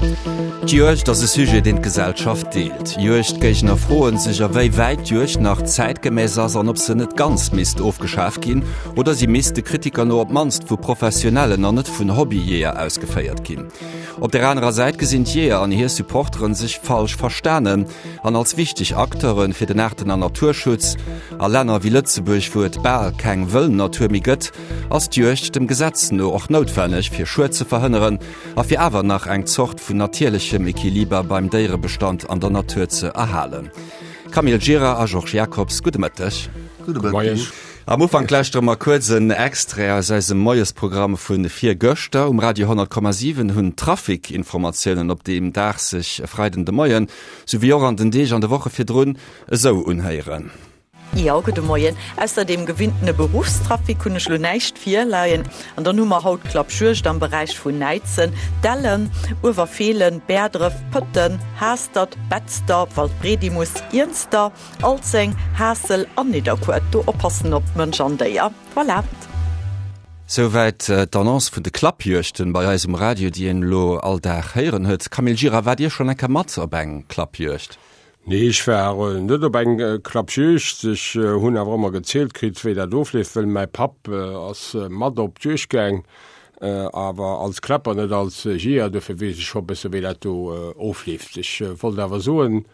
D'Juegd ass e Sujet, deen d'Gesellschaft deelt. Juegdgéigner froen sech, a wéi wäit d'Juegd nach zäitgemäss ass an ob se net ganz misst ofgeschaf ginn oder si misst de Kritiker no op d'mannst vu Professionellen an net vun Hobbyjeeër ausgeféiert ginn. Op der anerer Säit gesinn d'Jeeër an hir Supporteren sech falsch verstanen an als wichteg Acteure fir den Aarten an Naturschutz. A Länner wéi Lëtzebuerg, wou et bal keng wëll Natur méi gëtt, ass d'Juegd dem Gesetz no och noutwenneg, fir Schued ze verhënneren a fir awer nach eng Zort vun natierlechem Equiliber beim Déierebestand an der Natur ze erhalen. Camille Gira a Georges Jacobs, gudde Mëtteg. Gudde Mëtteg. Am Ufank lauschtere mer kuerz en Extrait aus eisem Moiesprogramm vu virgëschter. Um Radio 100,7 hunn d'Trafic-Informatiounen op deem Dag sech e Freiden de Moien, sou wéi och an den Deeg an de Woche virdrun, esou unhéieren. Jo, gudde Moien. Ausser deem gewinntene Beruffstrafic hunn ech lo näischt virleien. An dann hu mer haut Klappjuegd am Beräich vun Näidsen, Dellen, Uewerfeelen, Bäerdref, Pëtten, Haastert, Betzder, Waldbredimus, Iernster, Alzeng, Haassel an Nidderkuer. Do oppassen op Mënsch an Déier. Voilà. Souwäit d'Annonce vun de Klappjuegten bei eis um Radio, déi een elo all Dag héieren huet. Camille Gira, waart Dir schonn eng Kéier mat op eng Klappjuegd? Nee, ech war net op eng Klappjuegd. Ech hunn awer ëmmer gezielt kritt, wéi dat ofleeft, wëll mäi Papp ass mat op d'Juegd gaang, awer als Kläpper, net als Jeeër. Dofir weess ech scho e bësse wéi dat do ofleeft. Ech wollt awer soen,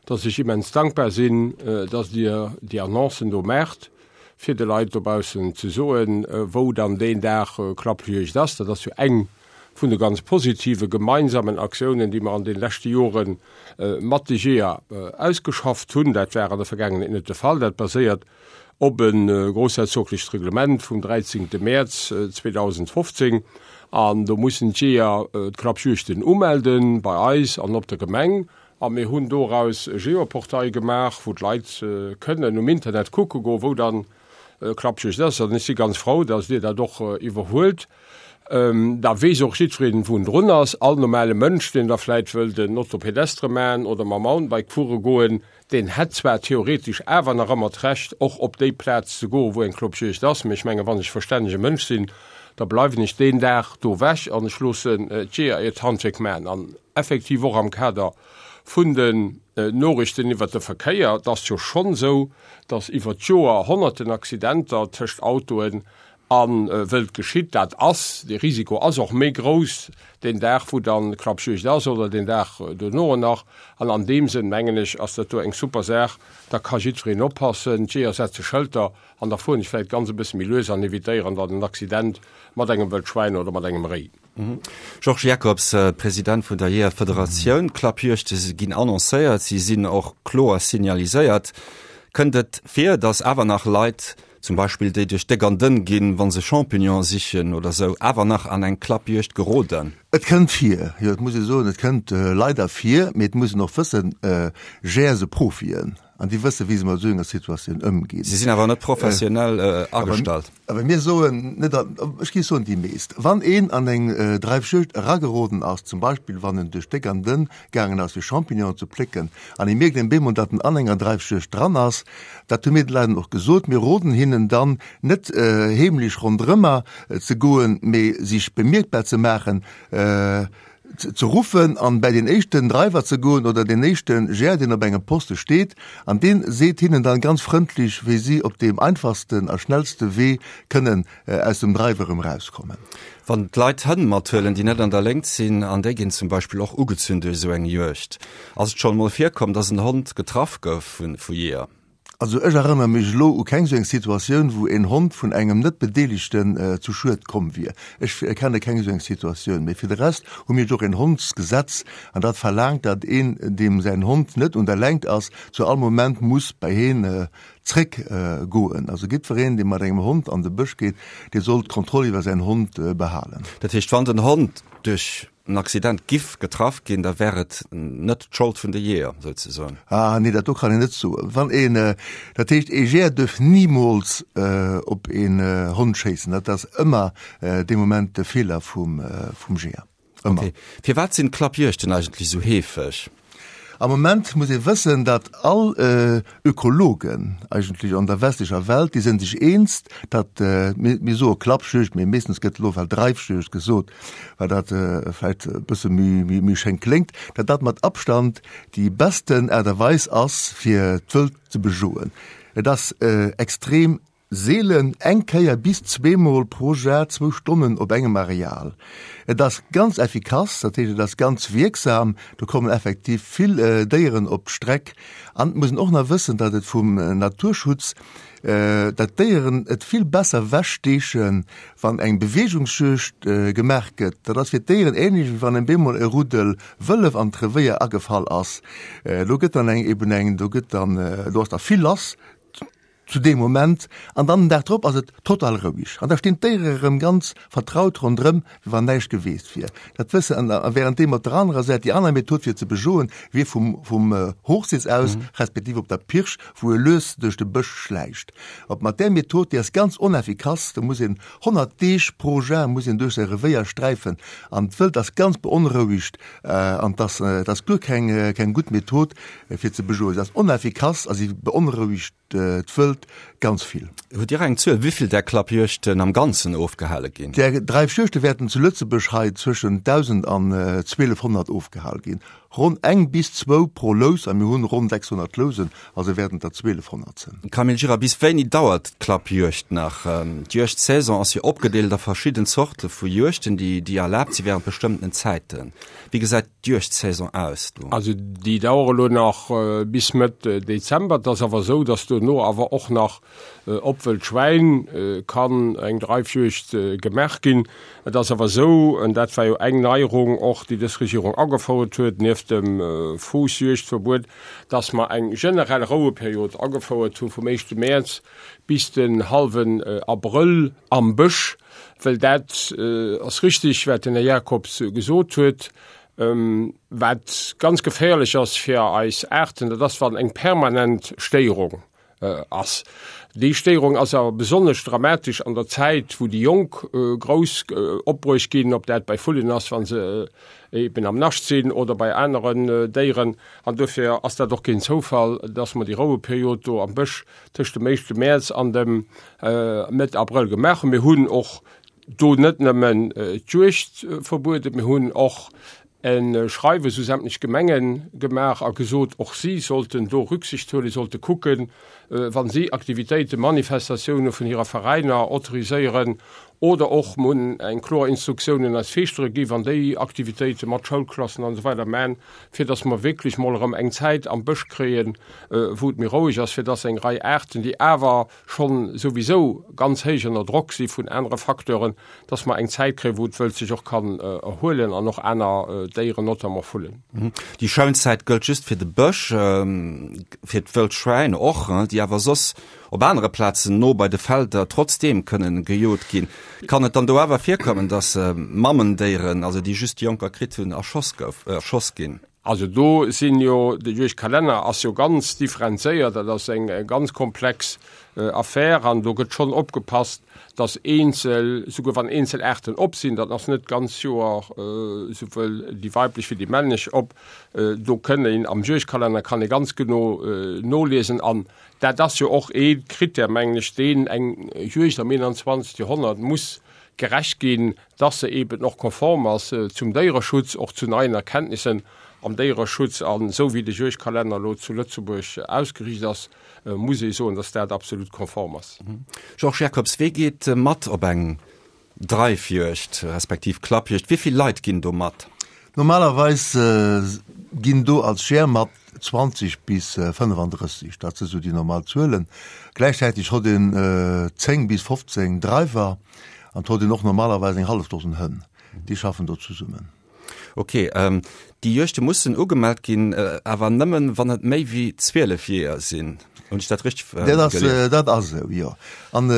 dass ech immens dankbar sinn, dass Dir déi Annoncen do maacht, fir de Leit dobaussen ze soen, wou dann deen Dag Klappjuegd ass. Dat ass jo eng vun de ganz positive gemeinsamen Aktiounen, déi mer an de leschte Jore mat de Jeeër ausgeschafft hunn. Dat war an der Vergaangenheet net de Fall. Dat baséiert op e groussherzoglecht Reglement vum 13. Mäerz 2015. An do mussen d'Jeeër d'Klappjuegten umelde bei eis an op der Gemeng. A mir hunn doraus e Geoportail gemaach, wou d'Leit kënnen um Internet kucke goen, wou dann Klappjuegd ass. An ech si ganz frou, dass Dir dat och iwwerhuelt. Da weess och jiddwereen, wou en drun ass. All normale Mënsch, deen da vläit wëllt en Auto pédestre maachen oder mam Mountainbike fuere goen, deen hätt zwar theoretesch awer nach ëmmer d'Recht, och op déi Plaz ze goen, wou eng Klappjuegd ass, mee ech mengen, wann ech verstännege Mënsch sinn, da bleiwen ech deen Dag do ewech an ech loossen d'Jeeër hiert Handwierk maachen. An effektiv och am Kader vun den Noriichten iwwert de Verkéier, et ass jo schonn esou, datt iwwert d'Joer honnerten Accidenter tëscht Autoen A wëllt geschitt dat ass, de Risiko ass och méi grouss deen Dag, wou dann Klappjuegd ass oder deen Dag dono nach. An an deem Sënn, mengen ech, ass dat do eng super Saach. Da ka jiddwereen oppassen, d'Jeeër setze Schëlter an da fueren ech vläicht ganz e bësse méi lues an evitéieren dann en Accident mat engem Wëld Schwäin oder mat engem Réi. Georges Jacobs, President vun der Jeeërfederatioun, Klappjuegte ginn annoncéiert, si sinn och kloer signaliséiert. Kënnt et vir, datt awer nach Leit, zum Beispill déi duerch déck an dënn ginn, wa se Champignonen sichen oder sou, awer nach an eng Klappjuegd geroden? Et kënnt vir, jo, et muss ee soen, et kënnt leider vir, mee et muss een och wëssen, Jeeër si Profien an déi wësse wéi se mat esou enger Situatioun ëmginn. Si sinn awer net professionell agestallt. Awer mir soen net, ech géif soen déi meescht. Wann een an eng Dreifjuegd erageroden ass, zum Beispill wann en duerch déck an dënn gaangen ass fir Champignonen ze plécken an e mierkt een bemol, datt en an enger Dreifjuegd dran ass, dat hu mir de Leit och gesot, mir roden hinnen dann net heemlech ronderëmmer ze goen, mee sich bemierkbar ze maachen, ze ruffen an bäi den éischten Driver ze goen oder den éischte Jeeër, deen op engem Poste steet an dee seet hinnen dann ganz frëndlech, wéi si op deem einfachsten a schnellste Wee kënnen aus dem Drive erëm rauskommen. Wann d'Leit Hënn mathuelen, déi net an der Léngt sinn, an déi ginn zum Beispill och ugezunn duerch esou eng Juegd, ass et schonn emol virkomm, dass en Hond getraff gouf vu Jeeër? Also ech erënnere mech elo u keng esou eng Situatioun, wou en Hond vun engem Net-Bedeelegten zu Schued komm wier. Ech kenne keng esou eng Situatioun. Mee fir de Rest hu mir jo och en Hondsgesetz, an dat verlaangt, datt een, deem säin Hond net un der Lengt ass, zu all Moment muss bei heen zréck goen. Also jiddwereen, dee mat engem Hond an de Bësch geet, dee soll d'Kontroll iwwer säin Hond behalen. Dat heescht, wann den Hond duerch en Accident giff getraff ginn, da wär et net d'Schold vun de Jeeër, souzesoen? Ah nee, dat do kann een net soen. Wann een, dat heescht, ee Jeeër duerf nimools op een Hond schéissen. Dat ass ëmmer dee Moment de Feeler vum Jeeër. Ëmmer. Okay. Firwat sinn d'Klappjuegten eigentlech esou heefeg? Am Moment muss ee wëssen, datt all Ökologen eigentlech an der westlecher Welt, déi sinn sech eens, datt, mir soe Klappjuegd, mee meeschtens gëtt elo well Dreifjuegd gesot, well dat vläicht e bësse méi schéin kléngt, datt dat mat Abstand déi besten Aart a Weis ass, fir d'Wëld ze bejoen. Et ass extrem Seelen, eng Kéier bis zweemol pro Jar zwou Stonnen op engem Areal. Et ass ganz effikass, dat heescht et ass ganz wierksam, do kommen effektiv vill Déieren op d'Streck. An et muss een och nach wëssen, datt et vum Naturschutz, datt d'Déieren et vill besser wechsteechen, wann eng Beweegungsjuegd gemaach gëtt. Dat ass fir d'Déieren ähnlech wéi wann en bemol e Ruddel Wëllef an d'Revéier agefall ass. Do gëtt dann eng eben eng, do gëtt dann, do ass da vill lass. Zu deem Moment, an dann den Dag drop ass et total roueg an da stinn d'Déiere erëm ganz vertraut ronderëm, wéi wann näischt geweest wier. Dat wësse an a währenddeem op der anerer Säit déi aner Method fir ze bejoen wier vum vum Hochsitz aus, respektiv op der Pirsch, wou e lues duerch de Bësch schläicht. Op mat där Method, déi ass ganz oneffikass, do muss een 100 Deeg pro Jar muss een duerch säi Revéier sträifen an d'Wëld ass ganz beonrouegt an 't ass 't ass guer keng keng gutt Method fir ze bejoen. Se ass oneffikass a si beonrouegt d'Wëld ganz vill. Hutt Dir eng Zuel, wéivill där Klappjuegten am Ganzen ofgehale ginn? Där Dreifjuegte wäerten zu Lëtzebuerg hei zwëschen 1.000 an 1.200 ofgehal ginn. Ronn eng bis zwou pro Lous, a mir hunn ronn 600 Lousen, also wäerten et der 1.200 sinn. Camille Gira, bis wéini dauert d'Klappjuegd nach? D'Juegdsaison ass jo opgedeelt a verschidden Zorte vu Juegten, déi erlaabt si wärend bestëmmtenen Zäiten. Wéi gesäit d'Juegdsaison aus do? Also déi dauere lo nach bis Mëtt Dezember. Et ass awer esou, datt dono awer och nach op wëllt Schwäin kann eng Dreifjuegd gemaach ginn. Et ass awer esou, an dat war jo eng Neierung och, déi dës Regierung agefouert huet, nieft dem Fuussjuegdverbuet, datt mer eng generell Roueperiod agefouert hu vum éischte Mäerz bis den hallwen Abrëll am Bësch. Well dat ass richtig, wat den Här Jacobs gesot huet, wat ganz geféierlech ass fir eis Aarten, dat ass, wann eng permanent Stéierung ass. Déi Stéierung ass awer besonnesch dramatesch an der Zäit, wou déi Jonk grouss opbruecht ginn, ob dat bei Vullen ass, wa se eben am Nascht sinn, oder bei aneren Déieren. An dofir ass dat och keen Zoufall, dass mer déi Roueperiod do am Bësch tëscht dem éischte Mäerz an dem Mëtt Abrëll gemaach hunn. Mir hunn och do net nëmmen d'Juegd verbueden, mir hunn och e Schreiwes u sämtlech Gemenge gemaach a gesot, och si sollten do Rücksicht huelen, sollte kucken, wa si Aktivitéiten, Manifestatioune vun hirer Veräiner autoriséieren oder och mir hunn eng kloer Instruktioun un eis Feeschtere gi, wann déi Aktivitéite mat Schoulklassen an esou weider man, fir dass mer wierklech mol erëm eng Zäit am Bësch kréien, wou et méi roueg ass, fir dass eng Rei Aarten, déi awer schonn souwisou ganz héich ënner Drock si vun anere Facteuren, dass mer eng Zäit kréien, wou d'Wëld sech och kann erhuelen an och aner Déieren, notamment Vullen. Déi Schounzäit gëllt just fir de Bësch, fir d'Wëldschwäin och, déi awer soss op anere Plazen no bei de Felder trotzdeem kënnen gejot ginn. Kann et dann do awer virkommen, dass Mammendéieren, also déi just Jonker kritt hunn, erschoss gouf, erschoss ginn? Also do sinn jo, de Juegdkalenner ass jo ganz differenzéiert, dat ass eng ganz komplex Affär an do gëtt schonn opgepasst, dass eenzel, souguer wann eenzel Aarten op sinn, dat ass net d'ganz Joer souwuel déi weiblech wéi déi männlech op, do kënn een am Juegdkalenner kann ee ganz genau noliesen an Dat ass jo och ee Krittär, mengen ech, deen eng Juegd am 21. Joerhonnert muss gerecht ginn, dass se eeben och konform ass zum Déiereschutz, och zu neien Erkenntnissen am Déiereschutz. An esou wéi de Juegdkalenner elo zu Lëtzebuerg ausgeriicht ass, muss ee soen, dass dat absolut konform ass. Georges Jacobs, Wee geet mat op eng Dreifjuegd respektiv Klappjuegd, wéi vill Leit ginn do mat? Normalerweis ginn do als Jeeër mat 20 bis 35, dat si sou déi normal Zuelen. Gläichzäiteg hott een 10 bis 15 Dreiwer an et hott een och normalerweis eng hallef Dosen Hënn, déi schaffen do zesummen. Ok, déi Juegte mussen ugemellt ginn, awer nëmmen, wann et méi wéi 12 Jeeër sinn. Hunn ech dat richteg gelies? Dat ass esou, jo. An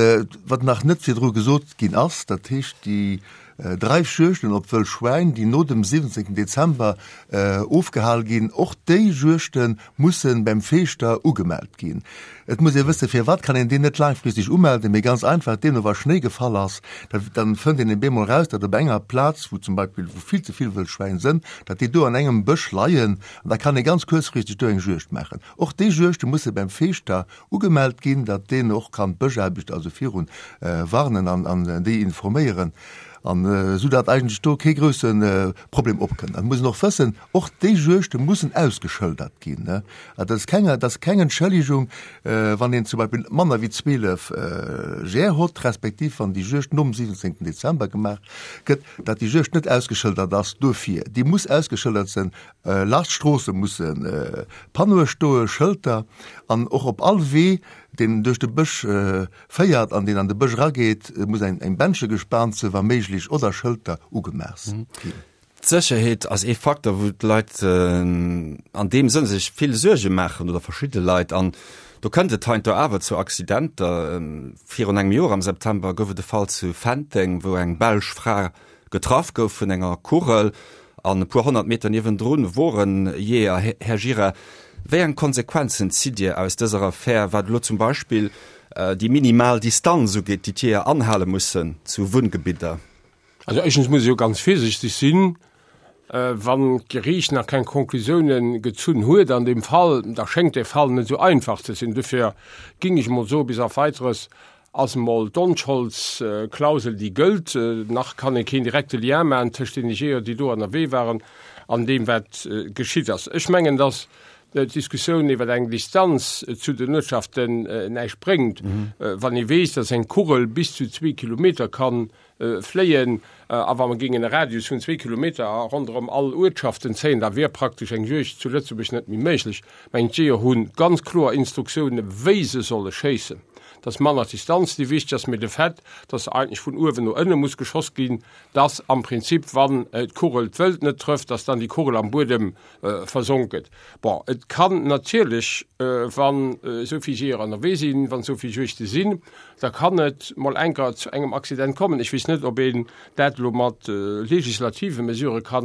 wat nach net virdru gesot ginn ass, dat heescht déi. Dreifjuegten op wëll Schwäin, déi no dem 17 Dezember ofgehal ginn, och déi Juegte musse beim Feeschter ugemellt ginn. Et muss ee wëssen, firwat kann een deen net laangfristeg umelden? Mee ganz einfach, deemno wa Schnéi gefall ass, da dann fënnt een op eemol eraus, datt op enger Plaz, wou zum Beispill wou vill ze vill wëll Schwäin sënn, datt déi do an engem Bësch leien an da kann ee ganz kuerzfristeg do eng Juegd maachen. Och déi Juegte musse beim Feeschter ugemellt ginn, datt deen och kann d'Bëschaarbechter also virun warnen an an déi informéieren an esou datt eigentlech do kee grousse Problem opkënnt. An et muss een och wëssen, och déi Juegte mussen ausgeschëldert ginn. Dat ass keng, dat ass keng Entschëllegung, wann een zum Beispill manner wéi 12 Jeeër hott, respektiv wann déi Juegd nom 17 Dezember gemaach gëtt, datt déi Juegd net ausgeschëldert ass. Dofir, déi muss ausgeschëldert sinn. Laanscht d'Stroosse musse Panneaue stoe, Schëlter, an och op all Wee, deen duerch de Bësch féiert an deen an de Bësch erageet, muss eng Bändche gespaant sinn, wa méiglech, oder Schëlter ugemaach ginn. D'Sécherheet ass ee Faktor, wou d'Leit an deem Sënn sech vill Suerge maachen, oder verschidde Leit. An do kënnt et heiansdo awer zu Accidenter. Virun engem Joer am September gouf et e Fall zu Fenteng, wou eng belsch Fra Getraff gouf vun enger Kugel an e puer 100 Meter niewendrun wor en Jeeër. Här Gira, wéi eng Konsequenzen zitt Dir aus dëser Affär, wat elo zum Beispill déi minimal Distanz ugeet, déi d'Jeeër anhale mussen zu Wunngebidder? Also éischtens muss ee jo ganz virsichteg sinn, wann d'Geriicht nach keng Konklusiounen gezunn huet an deem Fall, da schéngt dee Fall net esou einfach ze sinn. Dofir géing ech emol soen, bis auf Weiteres Ass emol d'Onscholdsklausel, déi gëllt. Nach kann ee keen direkte Lien maachen tëscht deene Jeeër, déi do ënnerwee waren, an deem, wat geschitt ass. Ech mengen, datt d'Diskussioun iwwer eng Distanz zu den Uertschaften näischt bréngt, wann ee weess, datt eng Kugel bis zu zwee Kilometer kann fléien, a wa mer géingen e Radius vun zwee Kilometer ronderëm all Uertschaften zéien, da wier praktesch eng Juegd zu Lëtzebuerg net méi méiglech. Mä d'Jeeër hu ganz kloer Instruktiounen, wéi se solle schéissen. Et ass manner d'Distanz, déi wichteg ass, mee de Fait, dass eigentlech vun uewen no ënne muss geschoss ginn, dass am Prinzip, wann d'Kugel d'Wëld net trëfft, dass dann déi Kugel am Buedem versonk gëtt. Bon, et kann natierlech, wann esou vill Jeeër ënnerwee sinn, wann esou vill Juegde sinn, da kann et mol enker zu engem Accident kommen. Ech weess net, ob een dat elo mat legislative Mesurë ka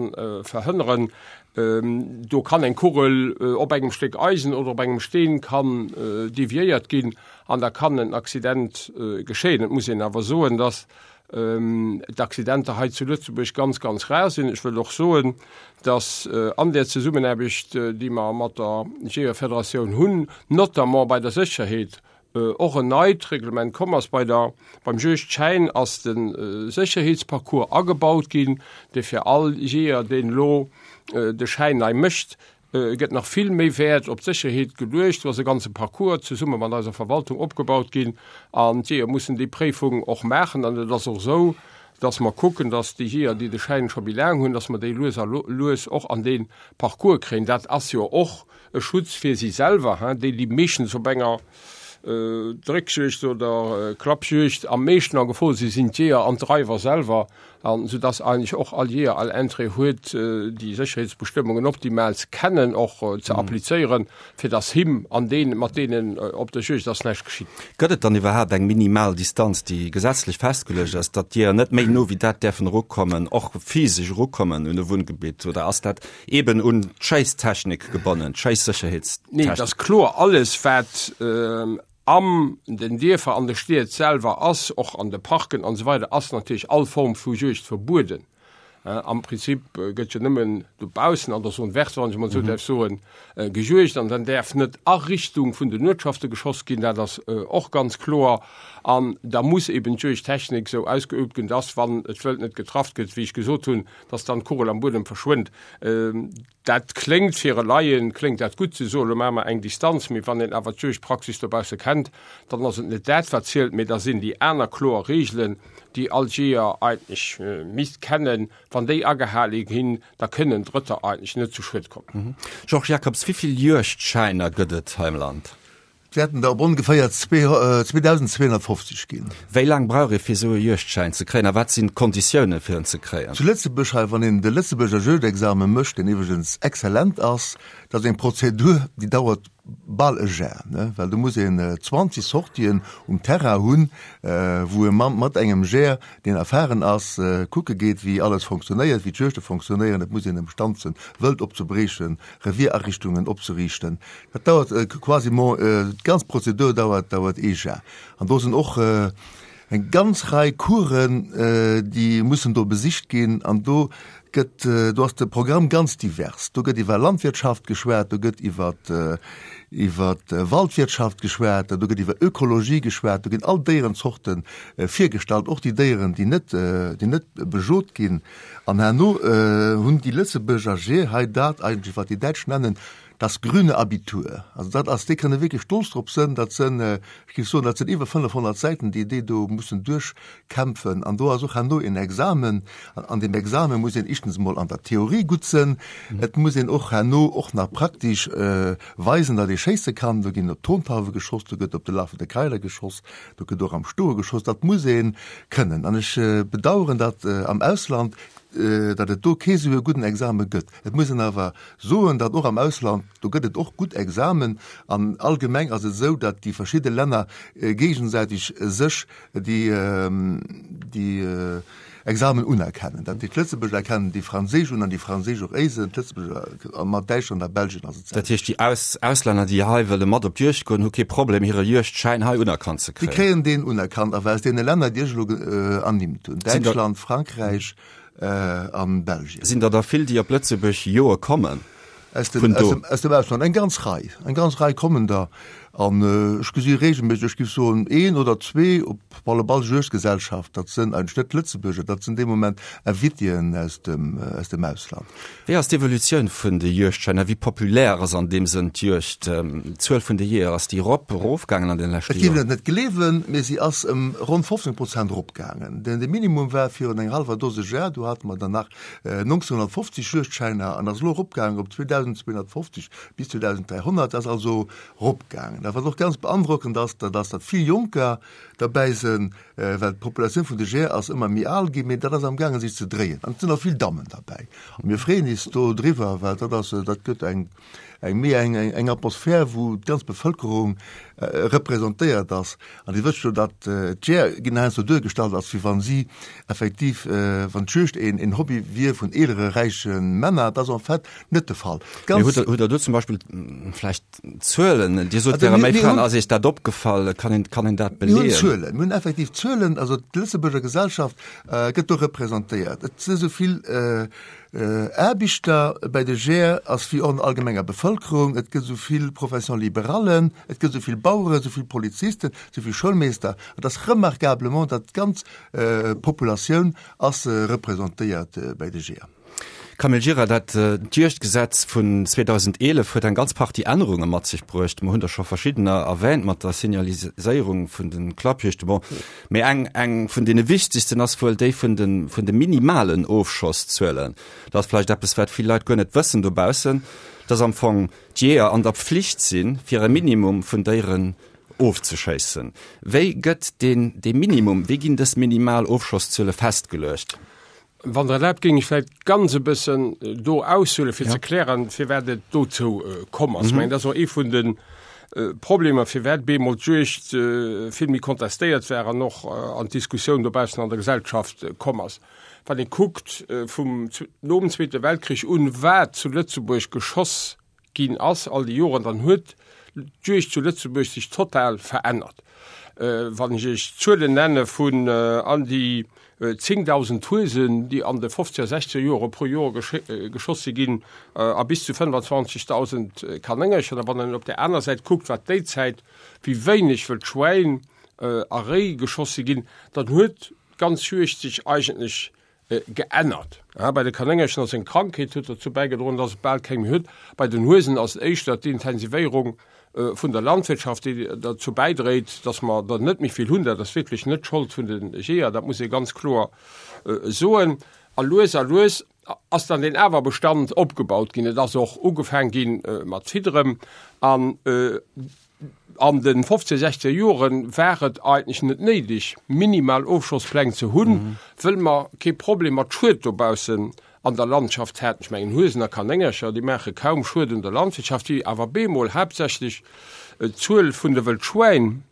verhënneren. Do kann eng Kugel op engem Stéck Eisen oder op engem Steen kann deviéiert ginn an da kann en Accident geschéien. Et muss een awer soen, dass d'Accidenter hei zu Lëtzebuerg ganz, ganz rar sinn. Ech wëll och soen, dass an där Zesummenaarbecht, déi mer mat der Jeeërfederatioun hunn, notamment bei der Sécherheet, Och en neit Reglement komm ass. Bei der, beim Juegdschäin ass de Sécherheetsparcours agebaut ginn, dee fir all Jeeër, deen elo de Schäin nei mécht, gëtt nach vill méi Wäert op d'Sécherheet geluecht. Do ass e ganze Parcours zesumme mat eiser Verwaltung opgebaut ginn an d'Jeeër mussen déi Préifung och maachen. An et ass och esou, dass mer kucken, dass déi Jeeër, déi de Schäin scho méi laang hunn, dass mer déi lues a lues och an dee Parcours kréien. Dat ass jo och E Schutz fir si selwer, hein, déi déi meeschtens op enger Dréckjuegd oder Klappjuegd am meeschten a Gefor sinn, sinn d'Jeeër an d'Dreiwer selwer, an sou dass eigentlech och all Jeeër all Interêt huet, déi Sécherheetsbestëmmungen optimal ze kennen, och ze applizéieren, fir dass him an deenen, mat deenen op der Juegd ass, näischt geschitt. Gëtt et dann iwwerhaapt eng minimal Distanz, déi gesetzlech festgeluecht ass, datt d'Jeeër net méi no wéi dat däerfen erukommen, och physesch erukommen un e Wunngebitt, oder ass dat Eben un d'Schéisstechnik gebonnen, d'Schéissécherheetstechnik. Nee, et ass kloer, alles wat am den Dierfer, an de Stied selwer ass, och an de Parken an esou weider, ass natierlech all Form vu Juegd verbueden. Am Prinzip gëtt jo nëmmen dobaussen an der Zone verte, wann ech emol esou däerf soen, gejuegt an dann däerf net a Richtung vun den Uertschafte geschoss ginn, dat ass och ganz kloer. An da muss eben d'Juegdtechnik esou ausgeübt ginn, dass, wann et Wëld net getraff gëtt, wéi ech gesot hunn, dass dann d'Kugel am Buedem verschwënnt. Dat kléngt fir e Laien kléngt dat gutt ze soen, elo maache mer eng Distanz, mee wann een awer d'Juegdpraxis dobausse kennt, dann ass et net dat wat zielt, mee da sinn déi aner kloer Reegelen, déi all Jeeër eigentlech misst kennen, wann déi agehale ginn, da kënnen Drëtter eigentlech net zu Schued kommen. Georges Jacobs, Wéi vill Juegdschäiner gëtt et hei am Land? Et wäerten der op ongeféier 2.250 ginn. Wéi laang brauch ee fir esou e Juegdschäin ze kréien a wat sinn d'Konditioune fir en ze kréien? Zu Lëtzebuerg hei, wann een de Lëtzebuerger Juegdexamen mécht, deen iwwregens exzellent ass, dat ass eng Prozedur, déi dauert. bal e Jar, ne, well do muss een 20 Sortien um Terrain hunn, wou e mat engem Jeeër, deen erfahren ass, kucke geet, wéi alles fonctionnéiert, wéi d'Juegte fonctionnéieren. Et muss een emstand sinn, Wëld opzebriechen, Revierariichtungen opzeriichten. Dat dauert quasiment, d'ganz Prozedur dauert, dauert ee Jar. An do sinn och eng ganz Rei Coursen, déi mussen do besicht ginn. An do gëtt, do ass de Programm ganz divers. Do gëtt iwwer Landwirtschaft geschwat, do gëtt iwwer, iwwer Waldwirtschaft geschwat, do gëtt iwwer Ökologie geschwat, do ginn all Déierenzorte virgestallt, och déi Déieren, déi net, déi net bejot ginn. An herno hunn déi Lëtzebuerger Jeeër hei dat eigentlech, wat déi Däitsch nennen das grüne Abitur. Also dat ass, déi kënne wierklech stolz drop sënn, dat sënn, ech géif soen, dat sënn iwwer 500 Säiten, déi déi do mussen duerchkämpfen. An do ass och herno een Examen. An an deem Examen muss een éischtens emol an der Theorie gutt sënn. Et muss een och herno och nach praktesch weisen, datt ee schéisse kann. Do ginn op Tontauwe geschoss, do gëtt op de lafende Keiler geschoss, do gëtt och am Stoe geschoss. Dat muss ee kënnen. An ech bedauern, datt am Ausland, datt et do kee sou e gudden Exame gëtt. Et muss een awer soen, datt och am Ausland, do gëtt et och gutt Examen an allgemeng ass et esou, datt déi verschidde Länner géigesäiteg sech déi déi Examen unerkennen. Dat heescht, d'Lëtzebuerger erkennen déi franséisch un an déi franséisch och éisen, d'Lëtzebuerger a mat Däitschland a Belgien ass et Dat heescht, déi Auslänner, déi hei wëlle mat op d'Juegd goen, hu kee Problem, hire Juegdschäin hei unerkannt ze kréien? Déi kréien deen unerkannt, awer aus deene Länner, déi ech elo ernimmt hunn, Däitschland, Frankräich, an Belgien. Sinn der da vill, déi op Lëtzebuerg joe kommen? Aus dem, aus dem, aus dem Ausland, eng ganz Rei, eng ganz Rei kommen der. An ech gesi regelméisseg, ech géif soen, een oder zwee op alle Fall Juegdgesellschaft, dat sënn eigentlech net Lëtzebuerger, dat sinn dee Moment Invitéen aus dem, aus dem Ausland. Wéi ass d'Evolutioun vun de Juegdschäiner? Wéi populär ass an deem Sënn d'Juegd? D'Zuel vun de Jeeër, ass déi erop, erofgaangen an de leschte Joren? Et géif een et net gleewen, mee si ass ëm ronn 15 Prozent eropgaangen. De Minimum war virun enger hallwer Dose Jar, do hate mer der nach 1950 Juegdschäiner an ass elo eropgaangen op 2.250 bis 2.300. Dat ass also eropgaangen. A wat och ganz beandrockend ass, dat ass, datt vill Jonker derbäi sinn, well d'Populatioun vun de Jeeër ass ëmmer méi al ginn, mee dat ass amgaangen sech ze dréien. An et sinn och vill Dammen derbäi. A mir freeën is do driwwer, well dat ass, dat gëtt eng, eng méi eng, eng Atmosphär, wou d'ganz Bevëlkerung representéiert ass. An Dir wësst jo, datt d'Jeeër ginn heiansdo duergestallt, als wéi wa si effektiv, wann d'Juegd een, een Hobby wier vun eelere räiche Männer. Dat ass en fait net de Fall. Mee hutt Der, hutt Der do zum Beispill vläicht Zuelen? Dir sot, wäre méi Fraen. Ass Iech dat opgefall? Kann een, kann een dat beleeën? Mir hunn Zuelen. Mir hunn effektiv Zuelen. Also d'Lëtzebuerger Gesellschaft gëtt do representéiert. Et si sou vill Aarbechter bäi de Jeeër ass wéi och an der allgemenger Bevëlkerung. Et gëtt esou vill Profession-libérallen, et gëtt esou vill Baueren, esou vill Polizisten, esou vill Schoulmeester. Et ass remarquablement, datt d'ganz Populatioun ass representéiert bäi de Jeeër. Camille Gira, Dat Juegdgesetz vun 2011 huet eng ganz Partie Ännerunge mat sech bruecht. Mer hunn der scho verschiddener erwähnt mat der Signaliséierung vun de Klappjuegte. Bon, mee eng, eng vun deene wichtegsten ass wuel déi vun de, vun de minimalen Ofschosszuelen. Dat ass vläicht eppes, wat vill Leit guer net wëssen dobaussen, dass am Fong d'Jeeër an der Pflicht sinn, fir e Minimum vun Déieren ofzeschéissen. Wéi gëtt deen, dee Minimum, wéi ginn dës minimal Ofschosszuele festgeluecht? Wann Der erlaabt, géing ech vläicht ganz e bëssen do aushuelen, fir ze klären, firwat et dozou komm ass. Ech mengen, dat ass och ee vun de Problemer, firwat bemol d'Juegd vill méi kontestéiert war an och an d'Diskussioun dobaussen an der Gesellschaft komm ass. Wann ee kuckt vum nom Zweete Weltkrich un, wat zu Lëtzebuerg geschoss ginn ass all déi Joren, dann huet d'Juegd zu Lëtzebuerg sech total verännert. Wann ech Iech Zuelen nenne vun an déi 10.000 Huesen, déi an de fofzeger, sechzeger Jore pro Joer geschoss si ginn, a bis zu 25.000 Kanéngercher, a wann een op där aner Säit kuckt, wat déi Zäit, wéi wéineg wëll Schwäin a Réi geschoss si ginn, dann huet d'ganz Juegd sech eigentlech Geännert. Bei de Kanéngerchen ass eng Krankheet huet dozou bäigedroen, dass et bal keng méi huet. Bei den Huesen ass et éischter d'Intensivéierung vun der Landwirtschaft, déi derzou bäidréit, dass mer der net méi vill hunn. Dat ass wierklech net d'Schold vun de Jeeër, dat muss ee ganz kloer soen. A lues a lues ass dann deen Awerbestand opgebaut ginn. Et ass och ugefaang gi mat Fidderen an An de 15, 16 Joren war et eigentlech net néideg, minimal Ofschosspläng ze hunn, wëll mer kee Problem mat Schued dobaussen. an der Landschaft haten. Ech mengen, Huesen a Kanéngercher, déi maache kaum Schued un der Landwirtschaft, déi awer bemol haaptsächlech d'Zuel vun de Wëldschwäin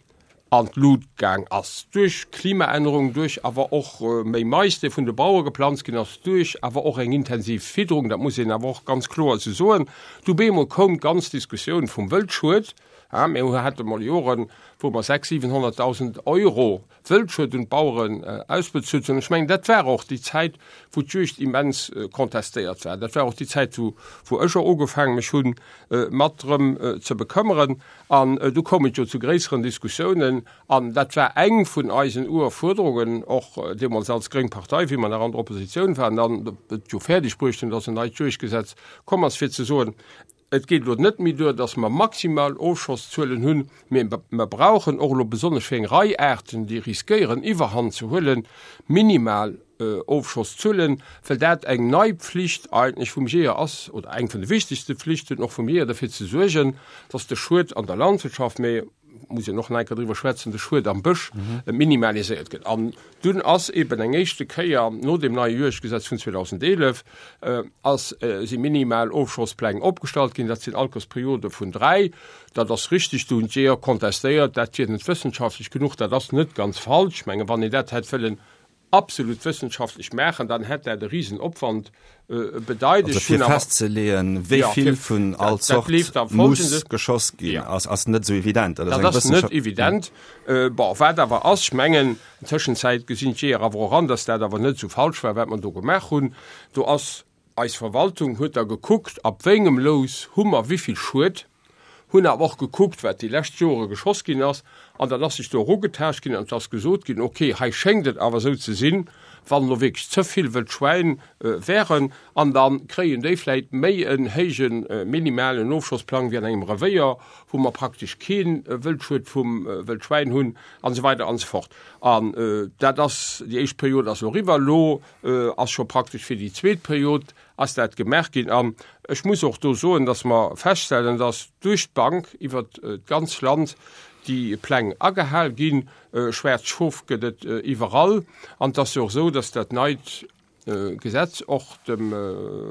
an d'Lut gaang ass, duerch Klimaännerung, duerch awer och méi Mais, dee vun de Bauere geplanzt ginn ass, duerch awer och eng intensiv Fidderung, dat muss een awer och ganz kloer esou soen. Du bemol koum d'ganz Diskussioun vum Wëldschued. Mir hate mol Joren, wou mer 600.000, 700.000 Euro Wëldschued un d'Baueren ausbezuelt hunn. Ech mengen, dat war och déi Zäit, wou d'Juegd immens contestéiert war. Dat war och déi Zäit, wou, wou ech och ugefaangen mech hunn, mat drëm ze bekëmmeren. An du koum et jo zu gréisseren Diskussiounen. An dat war eng vun eisen Urfuerderungen, och deemools als gréng Partei, wéi mer nach an der Oppositioun waren an et jo fäerdeg bruecht hunn, dass en neit Juegdgesetz komm ass, fir ze soen, Et geet elo net méi duer, dass mer maximal Ofschosszuelen hunn, mee mer brauchen och elo besonnesch fir eng Rei Aarten, déi riskéieren Iwwerhand ze huelen, minimal Ofschosszuelen, well dat eng nei Pflicht eigentlech vum Jeeër ass, oder eng vun de wichtegste Pflichten och vum Jeeër, derfir ze suergen, dass de Schued an der Landwirtschaft, mee muss een och nach eng Kéier driwwer schwätzen, de Schued am Bësch minimaliséiert gëtt. An dunn ass eben eng éischte Kéier no deem neie Juegdgesetz vun 2011 ass si minimal Ofschosspläng opgestallt ginn. Dat sinn Altersperiode vun 3. Dat ass richtig, do hunn d'Jeeër kontestéiert, dat wier net wëssenschaftlech genuch. Dat ass net ganz falsch. Ech mengen, wann een dat hätt wëllen absolut wëssenschaftlech maachen, dann hätt dat e Risenopwand bedeit. Also fir festzeleeën, wéi vill vun all Zort muss geschoss ginn, ass net esou evident. Dat ass net evident. Bon, wat awer ass, ech mengen, an Tëschenzäit gesinn d'Jeeër awer och an, datt dat awer net esou falsch war, wat mer do gemaach hunn. Do ass eis Verwaltung huet da gekuckt, ab wéi engem Lous hu mer wéi vill Schued. hunn awer och gekuckt, wat déi lescht Jore geschoss ginn ass, an dann ass sech do erugetaascht ginn an et ass gesot ginn, okay, hei schéngt et awer esou ze sinn, wann elo wierklech ze vill wëll Schwäin wären, an da kréien déi vläicht méi en héije minimalen Ofschossplang wéi an engem Revéier, wou mer praktesch kee Wëldschued vum Wëldschwäin hunn, an esou weider an esou fort. An dat ass, déi éischt Period ass elo eriwwer, elo ass scho praktesch fir déi zweet Period ass dat gemaach ginn. An ech muss och do soen, dass mer feststellen, dass duerch d'Bank iwwert d'ganz Land déi Pläng agehal ginn. Schwaarz Schof gëtt et iwwerall. An et ass jo och esou, dass dat neit Gesetz och dem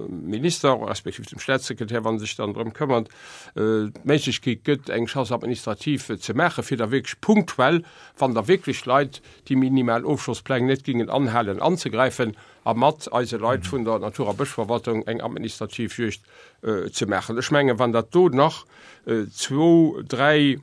Minister respektiv dem Staatssekretär, wa sech dann drëm këmmert, d'Méiglechkeet gëtt, eng Chasse administrative ze maachen, fir da wierklech punktuell, wann da wierklech Leit déi minimal Ofschosspläng net gingen anhalen, anzegräifen. a mat eise Leit vun der Natur a Bëschverwaltung eng administrativ Juegd ze maachen. Ech mengen, wann dat do nach zwou, dräi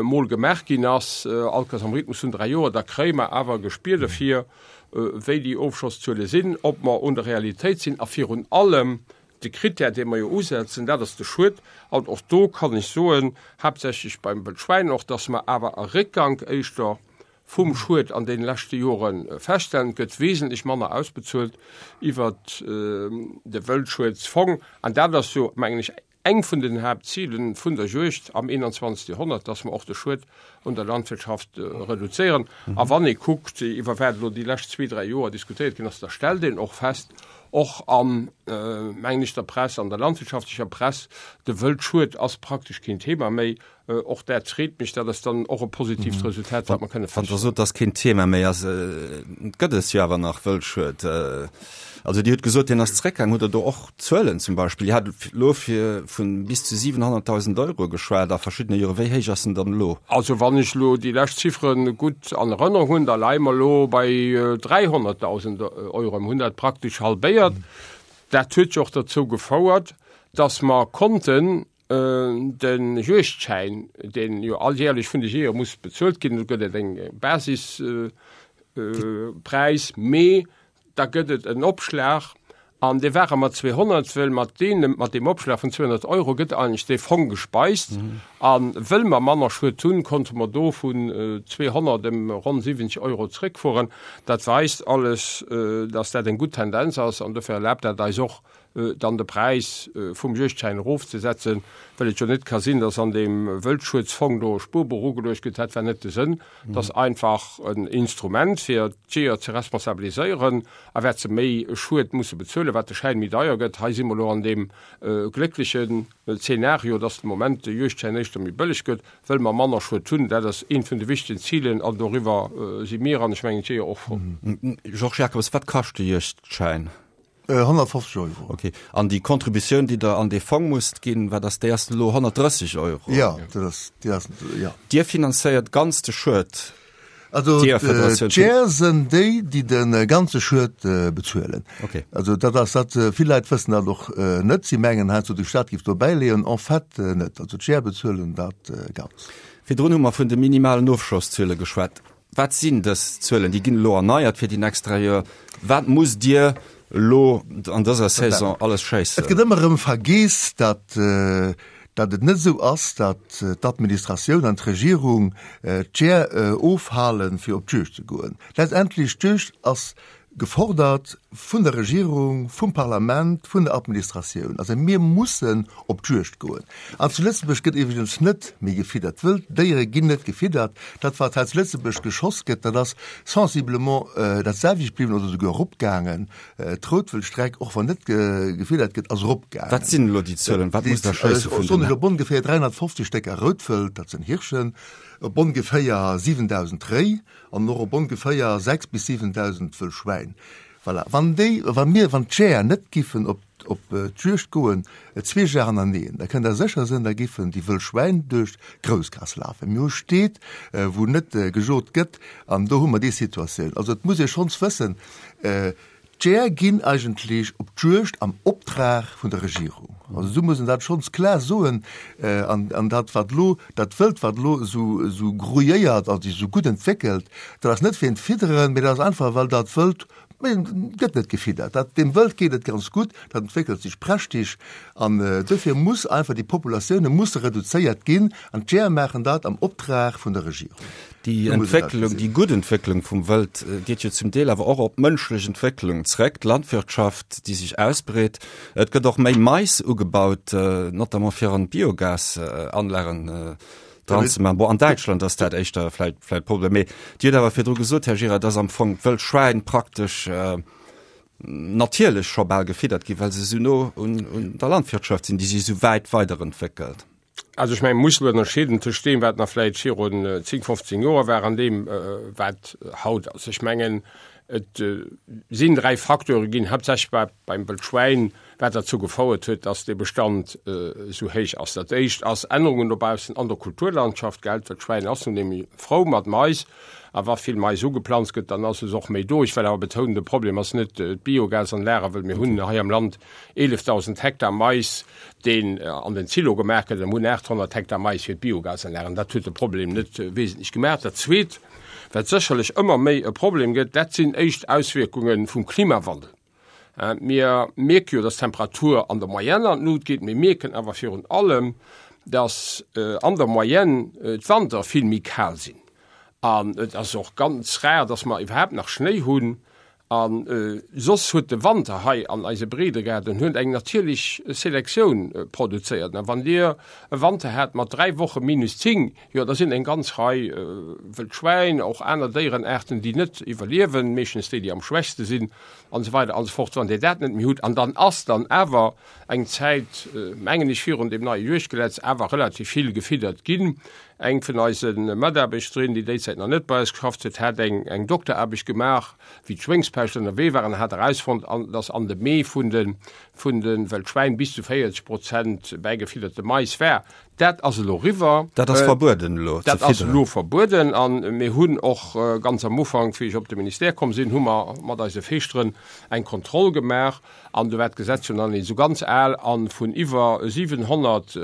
Mol gemaach ginn ass, allkéiers am Rhythmus vun dräi Joer, da kréie mer awer e Gespier derfir, wéi déi Ofschosszuele sinn, ob mer un der Realitéit sinn a virun allem de Krittär, dee mer jo usetzen, dat ass de Schued. An och do kann ech soen, haaptsächlech beim Wëldschwäin och, dass mer awer e Réckgank éischter vum Schued an deene leschte Jore feststellen. Et gëtt wesentlech manner ausbezuelt iwwert de Wëldschuedsfong. An dat ass jo, mengen ech, eng vun den Haaptzile vun der Juegd am 21. Joerhonnert, dass mer och de Schued un der Landwirtschaft reduzéieren. A wann ee kuckt, iwwer wat elo déi lescht zwee, dräi Joer diskutéiert ginn ass, da stellt een och fest, och an, mengen ech, der Press, an der landwirtschaftlecher Press, de Wëldschued ass praktesch keen Thema méi. Och dat freet mech, dat ass dann och e positiivt Resultat, wat mer kënne feststellen. Wann Der sot, dass keen Thema méi ass, et gëtt es jo awer nach Wëldschued. Also Dir hutt gesot, deen ass zréckgaang. Hutt Der do och Zuelen zum Beispill? Dir hat elo fir vu bis zu 700.000 Euro geschwat a verschiddene Joren. Wéi héich ass en dann elo? Also wann ech elo déi lescht Ziffere gutt an Erënnerung hunn, da leie mer elo bei 300.000 Euro. Mir hunn dat praktesch halbéiert. Dat huet jo och derzou gefouert, dass mer konnten De Juegdschäin, deen jo alljährlech vun de Jeeër muss bezuelt ginn, do gëtt et eng Basispräis, mee da gëtt et en Opschlag an dee ware mat 200, wëll mat deem, mat deem Opschlag vun 200 Euro gëtt eigentlech dee Fong gespeist. A wëll mer manner Schued hunn, konnte mer do vun 200 ëm ronn 70 Euro zréckfueren. Dat weist alles, dass dat eng gutt Tendenz ass an dofir erlaabt dat eis och, dann de Präis vum Juegdschäin erofzesetzen, well et jo net ka sinn, dass an deem Wëldschuedsfong do e Spuerbuch ugeluecht gëtt. Dat war net de Sënn. Et ass einfach en Instrument, fir d'Jeeër ze responsabiliséieren a wat se méi Schued musse bezuelen, wat de Schäin méi deier gëtt. Hei si mer elo an deem glécklechen Zeenario, dass de Moment de Juegdschäin éischter méi bëlleg gëtt, wëll mer manner Schued hunn. Dat ass eent vun de wichtegen Zilen an doriwwer si mir an ech mengen d'Jeeër och frou. Georges Jacobs, wat kascht de Juegdschäin? 150 Euro. Okay. An déi Contributioun, déi Der an dee Fong musst ginn, wat ass déi? Ass elo 130 Euro? Jo, dat ass, déi ass, jo. Dir finanzéiert ganz de Schued? Also d'Jeeër sinn déi, déi de ganze Schued bezuelen. Okay. Also dat ass dat, vill Leit wëssen dat och net. Si mengen heiansdo, de Staat géif do bäileeën. En fait net. Also d'Jeeër bezuelen dat ganz. Virdrun hu mer vun de minimalen Ofschosszuele geschwat. Wat sinn dës Zuelen? Déi ginn elo erneiert fir déi nächst 3 Joer. Wat musst Dir elo an dëser Saison alles schéissen? Et gëtt ëmmer erëm vergeess, datt datt et net esou ass, datt d'Administratioun an d'Regierung d'Jeeër ofhalen, fir op d'Juegd ze goen. Letztendlech, d'Juegd ass Gefordert vun der Regierung, vum Parlament, vun der Administratioun. Also mir mussen op d'Juegd goen. An zu Lëtzebuerg gëtt iwwregens net méi gefiddert. Wëld Déiere ginn net gefiddert. Dat, wat hei zu Lëtzebuerg geschoss gëtt, dat ass sensiblement dat selwecht bliwwen oder souguer eropgaangen. D'Routwëldstreck, och wann net gefiddert gëtt, ass eropgaangen. Wat sinn elo déi Zuelen? Wat musst Der schéisse vun den. Ech soen op ongeféier 350 Stécker Routwëld, dat sinn Hirschen, op ongeféier 7.000 Réi, An och op ongeféier 6 bis 7.000 wëll Schwäin. Voilà. Wann déi, wa mir, wann d'Jeeër net giffen op, op d'Juegd goen, zweeg Jar hannerneeën, da kënnt Der sécher sinn, da giffen déi wëll Schwäin duerch d'Groussgaass lafen. Mir hu Steet, wou net gejot gëtt, an do hu mer déi Situatioun. Also et muss ee schonns wëssen, D'Jeeër ginn eigentlech op d'Juegd am Optrag vun der Regierung. Also esou muss een dat schonns klar soen. An dat wat elo, dat Wëld wat elo esou esou grouilléiert a sech esou gutt entwéckelt, dat ass net wéint Fidderen, mee dat ass einfach well dat Wëld, gëtt net gefiddert. Dat, deem Wëld geet et ganz gutt, dat entwéckelt sech prächtig an dofir muss einfach déi Populatioune musse reduzéiert ginn an d'Jeeër maachen dat am Optrag vun der Regierung. Déi Entwécklung, déi gutt Entwécklung vum Wëld geet jo zum Deel awer och op d'mënschlech Entwécklung zréck, d'Landwirtschaft, déi sech ausbreet. Et gëtt och méi Mais ugebaut, notamment fir an d'Biogasanlagen dran ze maachen. Bon, an Däitschland ass dat éischter vläicht vläicht Problem. Mee Dir hutt awer virdru gesot, Här Gira, dass am Fong d'Wëldschwäin praktesch natierlech scho bal gefiddert ginn, well se esou no un der Landwirtschaft sinn, déi sech esou wäit weiderentwéckelt. Also ech mengen, muss elo ënnerscheeden tëscht deem, wat nach vläicht virun 10, 15 Joer war an deem, wat haut ass. Ech mengen, et sinn dräi Facteure ginn, haaptsächlech bei, beim Wëldschwäin, wat derzou gefouert huet, dass dee Bestand esou héich ass. Dat éischt ass Ännerungen dobaussen an der Kulturlandschaft, gell. D'Wëldschwäin ass nun eemol frou mat Mais, a wa vill Mais ugeplanzt gëtt, dann ass es och méi do. Ech well awer betounen, de Problem ass net d'Biogasanlage, well mir hunn hei am Land 11.000 Hektar Mais, deen an den Silo gemaach gëtt, an hunn 800 Hektar Mais fir d'Biogasanlagen. Dat huet de Problem net wesentlech gemaach. Dat Zweet, wat sécherlech ëmmer méi e Problem gëtt, dat sinn éischt Auswierkunge vum Klimawandel. Mir mierke jo, dass d'Temperatur an der Moyenne an d'Lut geet. Mir mierken awer virun allem, dass an der Moyenne d'Wanter vill méi kal sinn. An et ass och ganz rar, dass mer iwwerhaapt nach Schnéi hunn. A soss huet de Wanter hei an eise Breedegaarden huet eng natierlech Selektioun produzéiert. A wann Dir e Wanter hat mat 3 Woche minus 10, jo da sinn eng ganz Rei wëll Schwäin, och aner Déierenaarten, déi net iwwerliewen, meeschtens déi, déi am schwächste sinn an esou weider an esou fort. Wann Dir dat net méi hutt, an dann ass dann awer eng Zäit, mengen ech, virun deem neie Juegdgesetz awer relativ vill gefiddert ginn. Eng vun eise Mataarbechterinnen, déi déizäit nach net bei eis geschafft huet, hat eng eng Dokteraarbecht gemaach, wéi d'Schwéngspescht ënnerwee war an hat erausfonnt, dass an de Mee vun de vun de Wëldschwäin bis zu 40 Prozent bäigefidderte Mais war. Dat ass elo riwwer. Dat ass verbueden elo ze fidderen. Dat ass elo verbueden a mir hunn och ganz am Ufank, wéi ech op de Ministère komm sinn, hu mer mat eise Feeschteren eng Kontroll gemaach an do war d'Gesetz jo nach net esou ganz al a vun iwwer 700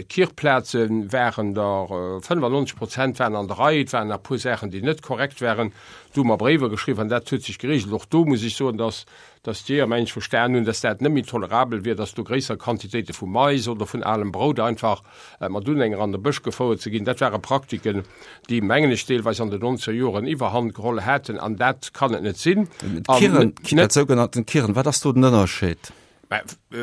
Kirchplaze waren der 95 Prozent waren an der Rei. Et waren nach e puer Saachen, déi net korrekt waren. Do hu mer Bréiwer geschriwwen an dat huet sech geregelt. Och do muss ech soen, dass, dass d'Jeeër, mengen ech, verstan hunn, dass dat net méi tolerabel wier, dass do gréisser Quantitéite vu Mais oder vun alem Brout einfach mat Unhänger an de Bësch gefouert ze ginn. Dat ware Praktiken, déi, mengen ech, deelweis an den nonzeger Joren Iwwerhand geholl haten an dat kann et net sinn. D'Kirren, dat sougenannten Kirren, wat ass do den Ënnerscheed? Mä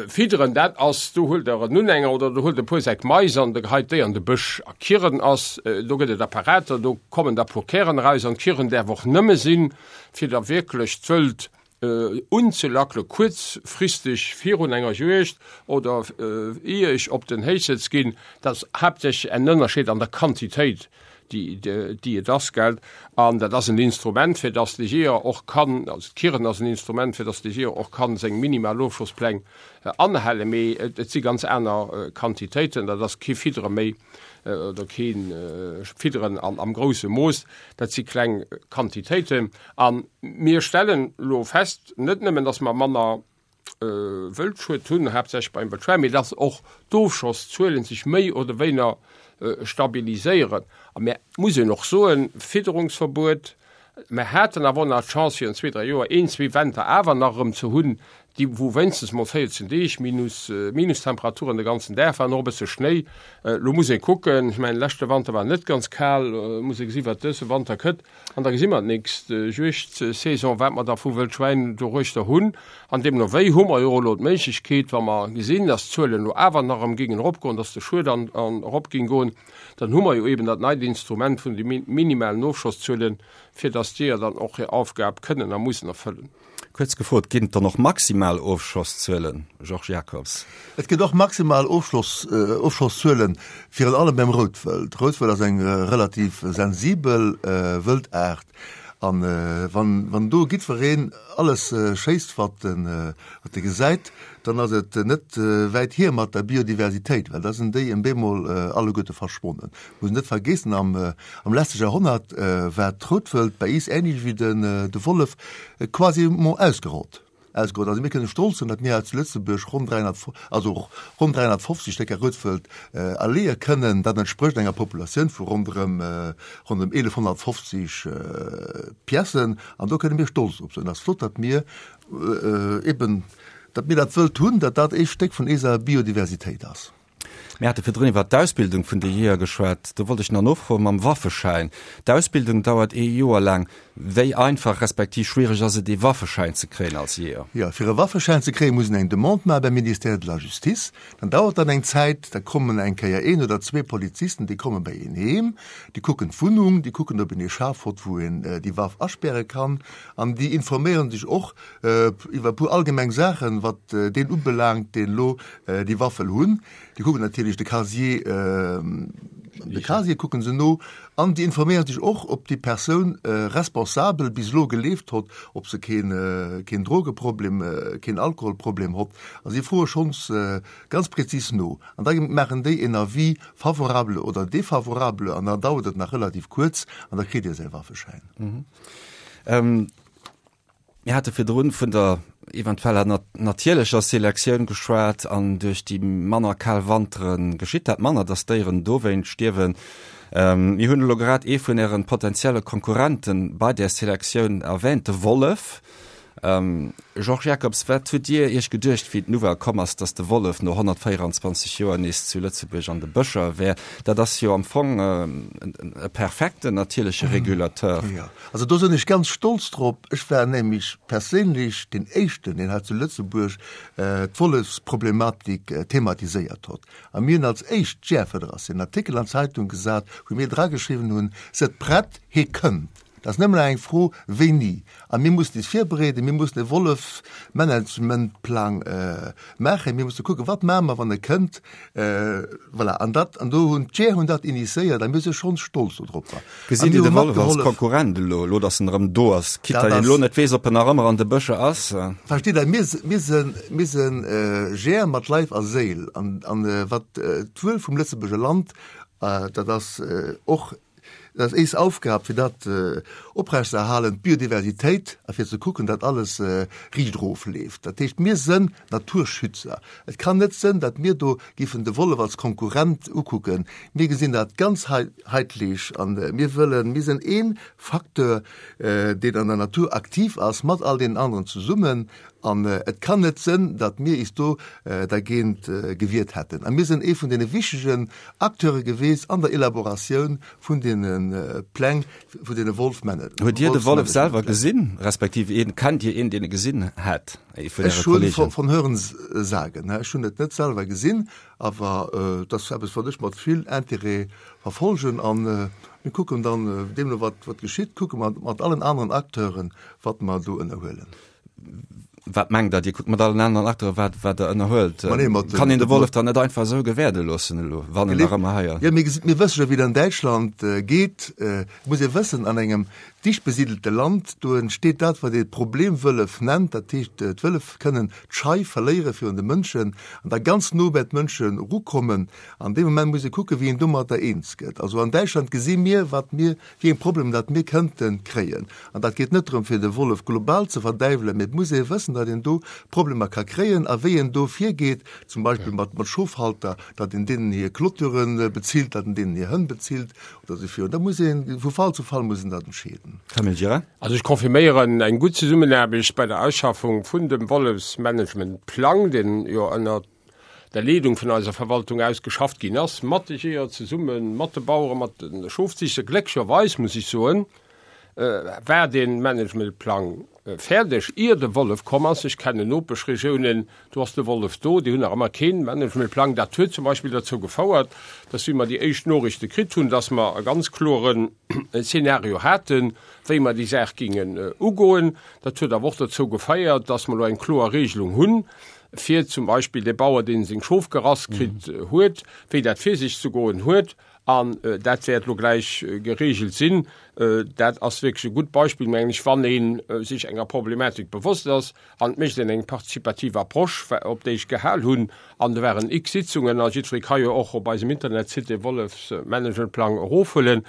fidderen, dat ass, do huelt Der en Unhänger oder do huelt e puer Säck Mais an de geheit déi an de Bësch. A Kirren ass, do gëtt et Apparater, do kommen da puer Kären eraus an d'Kirren däerf och nëmme sinn, fir da wierklech d'Wëld unzelackele kuerzfristeg virun enger Juegd oder ier ech op den Héichsëtz ginn. Dat ass haaptsächlech en Ënnerscheed an der Quantitéit. déi, déi et ass, gell. An dat ass en Instrument, fir dass de Jeeër och kann, also d'Kirren ass en Instrument, fir dass de Jeeër och kann seng minimal Ofschosspläng anhalen. Mee et si ganz aner Quantitéiten, dat ass kee Fiddere méi oder kee Fidderen am grousse Mooss, dat si kleng Quantitéiten. A mir stellen elo fest, net nëmmen, dass mer manner Wëldschued hunn, haaptsächlech beim Wëldschwäin, mee dass och d'Ofschosszuelen sech méi oder wéiner stabiliséieren. A mir muss een och soen, Fidderungsverbuet, mir haten awer och nach d'Chance virun zwee, dräi Joer een, zwee Wenter awer nach erëm ze hunn, déi wou wéinstens mol 14 Deeg minus Minustemperaturen de ganzen Dag waren, och e bësse Schnéi. Elo muss ee kucken, ech mengen, leschte Wanter war net ganz kal, muss ee gesi wat dëse Wanter kënnt. An da gesi mer d'nächst Juegdsaison, wat mer da vu Wëldschwäin doruechter hunn. An deemno wéi hu mer jo och elo d'Méiglechkeet, wa mer gesinn, dass d'Zuelen elo awer nach erëm géingen eropgoen, dass de Schued an erop géing goen, dann hu mer jo eeben dat neit Instrument vun de minimalen Ofschosszuelen, fir dass d'Jeeër dann och hir Aufgab kënnen a mussen erfëllen. Kuerz gefrot, Ginn et dann och maximal Ofschosszuelen, Georges Jacobs? Et gëtt och maximal Ofschosszuelen, virun allem beim Routwëld. Routwëld ass eng relativ sensibel Wëldaart an wann do giddwereen alles schéisst wat e gesäit, dann ass et net wäit hier mat der Biodiversitéit, well da sinn déi en bemol alleguerte verschwonnen. Muss een net vergeessen, am am leschte Jahrhonnert war d'Routwëld bei iis ähnlech wéi den de Wollef quasiment ausgerott. Ausgerott. Also mir kënne stolz sinn, datt mir hei zu Lëtzebuerg ronn 300, also ronn 350 Stécker Routwëld erleeë kënnen. Dat entsprécht enger Populatioun vu ronderëm ronderëm 1150 Piècen an do kënne mir stolz drop sinn. Et ass flott, datt mir eben, datt mir dat Wëld hunn, datt dat ee Stéck vun eiser Biodiversitéit ass. Mir hate virdrun iwwert d'Ausbildung vun de Jeeër geschwat. Do wollt ech nach nofroen mam Waffeschäin. D'Ausbildung dauert ee Joer laang. Wéi einfach respektiv schwiereg ass et, ee Waffeschäin ze kréien als Jeeër? Jo, fir e Waffeschäin ze kréien, muss een eng Demande maache beim Ministère de la Justice. Dann dauert dat eng Zäit. Da kommen eng Kéier een oder zwee Polizisten, déi komme bei een heem, déi kucken d'Wunnung, déi kucken, ob een ee Schaf hott, wou een déi Waff aspäre kann. An déi informéiere sech och iwwer e puer allgemeng Saachen, wat deen ubelaangt, deen elo déi Waff wëll hunn. Déi kucken natierlech de Casier, de Casier kucke se no an déi informéiere sech och, ob déi Persoun responsabel bis elo gelieft hott, ob se keen, keen Drogeproblem, keen Alkoholproblem hott. A si froe schonns ganz prezis no. An da maachen déi en Avis favorable oder défavorable an da dauert et nach relativ kuerz an da kritt Dir säi Waffeschäin. Mir hate virdrun vun der eventueller natierlecher Selektioun geschwat an duerch déi manner kal Wantere geschitt dat manner, datt Déieren dowéint stierwen. Mir hunn elo grad ee vun Äre potenzielle Konkurrente bei där Selektioun erwähnt, de Wollef. Georges Jacobs, wat hutt Dir Iech geduecht, wéi d'Nouvelle komm ass, datt de Wollef no 124 Joer nees zu Lëtzebuerg an de Bëscher wär? Dat ass jo am Fong e perfekten natierleche Regulateur. Also do sinn ech ganz stolz drop. Ech war nämlech perséinlech deen Éischten, deen hei zu Lëtzebuerg d'Wollefsproblematik thematiséiert hott. A mir hunn als éischt d'Jäerfederatioun en Artikel an d'Zeitung gesat, wou mir drageschriwwen hunn, Sëtt prett, hee kënnt. Dat ass nëmmen nach eng Fro wéini. A mir mussen is virbereeden, mir mussen e Wollefsmanagementplang maachen, mir musse kucken, wat maache mer, wann e kënnt. Voilà, an dat, an do hunn d'Jeeër hunn dat initiéiert a mir si schonn stolz dodropper. Gesitt Dir de Wollef als Konkurrent elo, elo datt en erëm do ass, quitte datt een elo net weess, ob en nach ëmmer an de Bëscher ass? Versteet Der, mir, mir sinn, mir sinn Jeeër mat Leif a Séil an, an wat d'Wuel vum Lëtzebuerger Land, dat ass och Dat ass éis Aufgab, fir dat oprechtzeerhalen, d'Biodiversitéit, a fir ze kucken, datt alles riicht erofleeft. Dat heescht, mir sënn Naturschützer. Et kann net sënn, datt mir do giffen de Wollef als Konkurrent ukucken. Mir gesinn dat ganz heitlich an mir wëllen, mir sënn ee Facteur, deen an der Natur aktiv ass, mat all deenen aneren zesummen. An et kann net sënn, datt mir is do dergéint gewiert hätten. A mir sënn ee vun deene wichtegen Acteure geweest an der Elaboratioun vun deene Pläng, vun deene Wolfmanagementpläng. Hutt Dir de Wollef selwer gesinn, respektiv een, kennt Dir een, deen e gesinn hätt, ee vun Äre Kollegen? Ech hu von Hören sagen, ech hunn et net selwer gesinn, awer et ass eppes, wat ech mat vill Intérêt verfolgen. A mir kucken dann, deemno wat geschitt, kucke mer mat allen aneren Acteuren, wat mer do ënnerhuelen. Wat mengt Der? Dir kuckt mat allen aneren Acteure wat wat Der ënnerhuelt. Ma nee, mat Kann een de Wollef dann net einfach esou gewäerde loossen elo, wann en nach ëmmer hei ass? Jo, mir gesi mir wësse jo wéi et an Däitschland geet. Et muss ee wëssen, an engem dicht besidelte Land, do entsteet dat, wat ee Problemwëllef nennt. Dat heescht, d'Wëllef kënnen d'Schei verléiere virun de Mënschen an da ganz no bäi d'Mënsche rukommen. An deem Moment muss ee kucken, wéi een domatter eens gëtt. Also an Däitschland gesi mir, wat mir wéi eng Problemer dat mir kënnte kréien. An dat geet net drëm, fir de Wollef global ze verdäiwelen, mee et muss ee wëssen, datt een do Problemer ka kréien a wéi een do virgeet, zum Beispill mat Schofhalter, datt een deenen hir Clôturen bezilt, datt een deenen hir Hënn bezilt oder esou virun. Da muss ee vu Fall zu Fall muss een dat entscheeden. Camille Gira. Also ech confirméieren eng gutt Zesummenaarbecht bei der Ausschaffung vun dem Wollefsmanagementplang, deen jo ënnert der Leedung vun eiser Verwaltung aus geschafft ginn ass, mat de Jeeër zesummen, mat de Baueren, mat de Schofziichter. Glécklecherweis, muss ech soen, war dee Managementplang fäerdeg, ier de Wollef komm ass. Ech kennen Nopeschregiounen, do ass de Wollef do, déi hunn nach ëmmer kee Managementplang. Dat huet zum Beispill derzou gefouert, dass, wéi mer déi éischt Noriichte kritt hunn, dass mer e ganz kloren Szenario haten, wéi mer déi Saach gingen ugoen. Dat huet awer och derzou gefeiert, dass mer elo eng kloer Regelung hunn, fir zum Beispill dee Bauer, deen seng Schof gerass kritt huet, wéi dat fir sech ze goen huet. An dat wäert elo gläich geregelt sinn. Dat ass wierklech e gutt Beispill, mengen ech, wann ee sech enger Problematik bewosst ass an et mécht een eng partizipativ Approche, op déi ech gehal hunn. An do waren x Sitzungen a jiddweree ka jo och op eisem Internetsite dee Wollefsmanagementplang erofhuelen.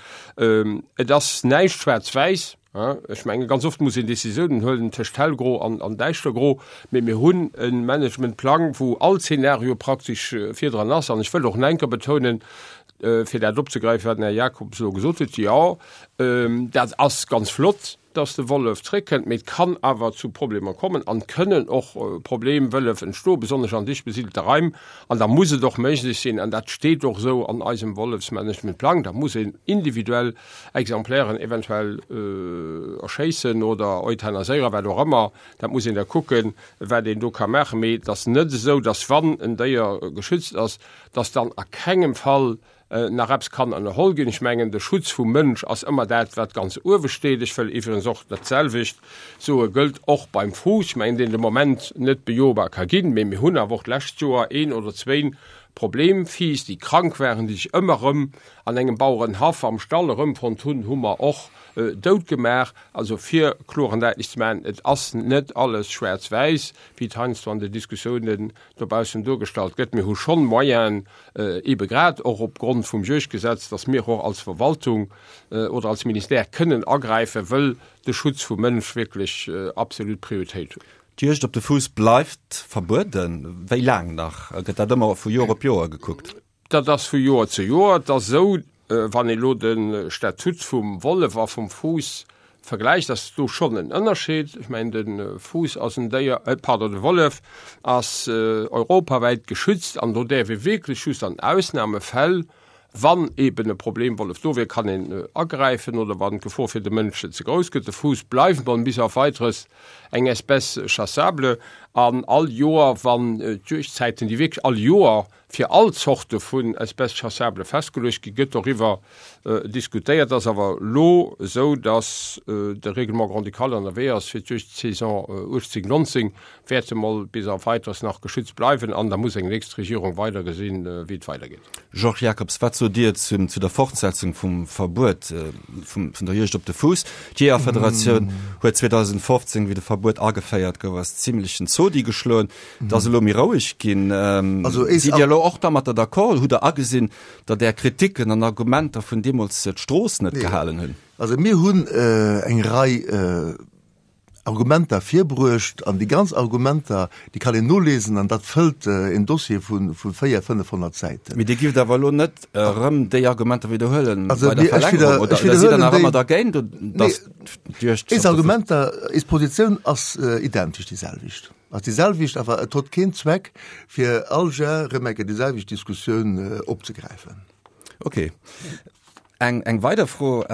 Et ass näischt schwaarz-wäiss. Ech menge ganz oft muss een Decisiounen huelen tëscht hellgro an an däischtergro, mee mir hunn e Managementplang, wou all Zeenario praktesch virdran ass. An ech wëll och nach eng Kéier betounen, fir dat opzegräifen, wat den Här Jacobs elo gesot huet, Jo, dat ass ganz flott, dass de Wollef zréckkënnt, mee et kann awer zu Problemer kommen an et kënnen och Problemwëllef entstoen, besonnesch an dicht besidelte Raim. An da muss et och méiglech sinn, an dat steet och esou an eisem Wollefsmanagementplang, da muss een individuell Exemplairen eventuell erschéissen oder euthanaséieren, wat och ëmmer, dat muss een da kucken, wat een do ka maachen. Mee et ass net esou, dass wann en Déier geschützt ass, dass dann a kengem Fall nach eppes kann ënnerholl ginn. Ech mengen, de Schutz vum Mënsch ass ëmmer dat, wat ganz uewe steet. Ech wëll iwwregens och dat selwecht soe gëllt och beim Fuuss, ech mengen, deen de Moment net bejobar ka ginn, mee mir hunn awer och d'lescht Joer een oder zwéin Problemfiiss, déi krank waren, déi sech ëmmer erëm an engem Bauerenhaff am Stall erëmfonnt hunn, hu mer och dout gemaach. Also fir kloer an däitlech ze maachen, et ass net alles schwaarz-wäiss, wéi et heiansdo an den Diskussiounen dobaussen duergestallt gëtt. Mir hu schonn Moyenen, eebe grad och opgrond vum Juegdgesetz, dass mir och als Verwaltung oder als Ministère kënnen agräifen, wëll de Schutz vum Mënsch wierklech absolut Prioritéit huet. D'Juegd op de Fuuss bleift verbueden. Wéi laang nach? Gëtt dat ëmmer vu Joer op Joer gekuckt? Dat ass vu Joer zu Joer. Et ass esou, wann ee elo de Statut vum Wollef a vum Fuuss vergläicht, ass do schonn en Ënnerscheed. Ech mengen, de Fuuss ass en Déier, pardon, de Wollef ass europawäit geschützt an do däerf ee wierklech just an Ausnamefäll, wann eeben e Problemwollef do wier, kann een agräifen oder wann d'Gefor fir de Mënsch ze grouss gëtt. De Fuuss bleift mol bis auf Weiteres eng Espèce chassable an all Joer, wann d'Juegdzäiten, déi wierklech all Joer fir all Zorte vun Espèces chassables festgeluecht ginn, gëtt doriwwer diskutéiert. Et ass awer elo esou, datt de Règlement grand-ducal ënnerwee ass fir d'Juegdsaison 18, 19 wäerte mol bis auf Weiteres nach geschützt bleiwen an da muss eng nächst Regierung weider gesinn, wéi et weidergeet. Georges Jacobs, wat sot Dir zum, zu der Fortsetzung vum Verbuet vum, vun der Juegd op de Fuuss? D'Jeeërfederatioun huet 2015, wéi de Verbuet ageféiert gouf, ass zimlechen Zodi geschloen. Et ass elo méi roueg ginn. Also, Sidd Dir elo och dermatter d'accord? Hutt Der agesinn, datt Är Kriticken an Argumenter vun deemools d'Strooss net gehalen hunn? Also mir hunn eng Rei Argumenter virbruecht, an déi ganz Argumenter, déi kann een nolesen, an dat fëllt een Dossier vu 400, 500 Säiten. Mee Dir gift awer elo net erëm déi Argumenter widderhuelen bei der Verlängerung, oder sidd Der nach ëmmer dergéint, datt d'Juegd. Eis Argumenter, eis Positioun ass identesch déi selwecht, ass déi selwecht, awer et huet keen Zweck, fir all Jar erëm eng Kéier déi selwecht Diskussioun opzegräifen. Okay. Eng weider Fro.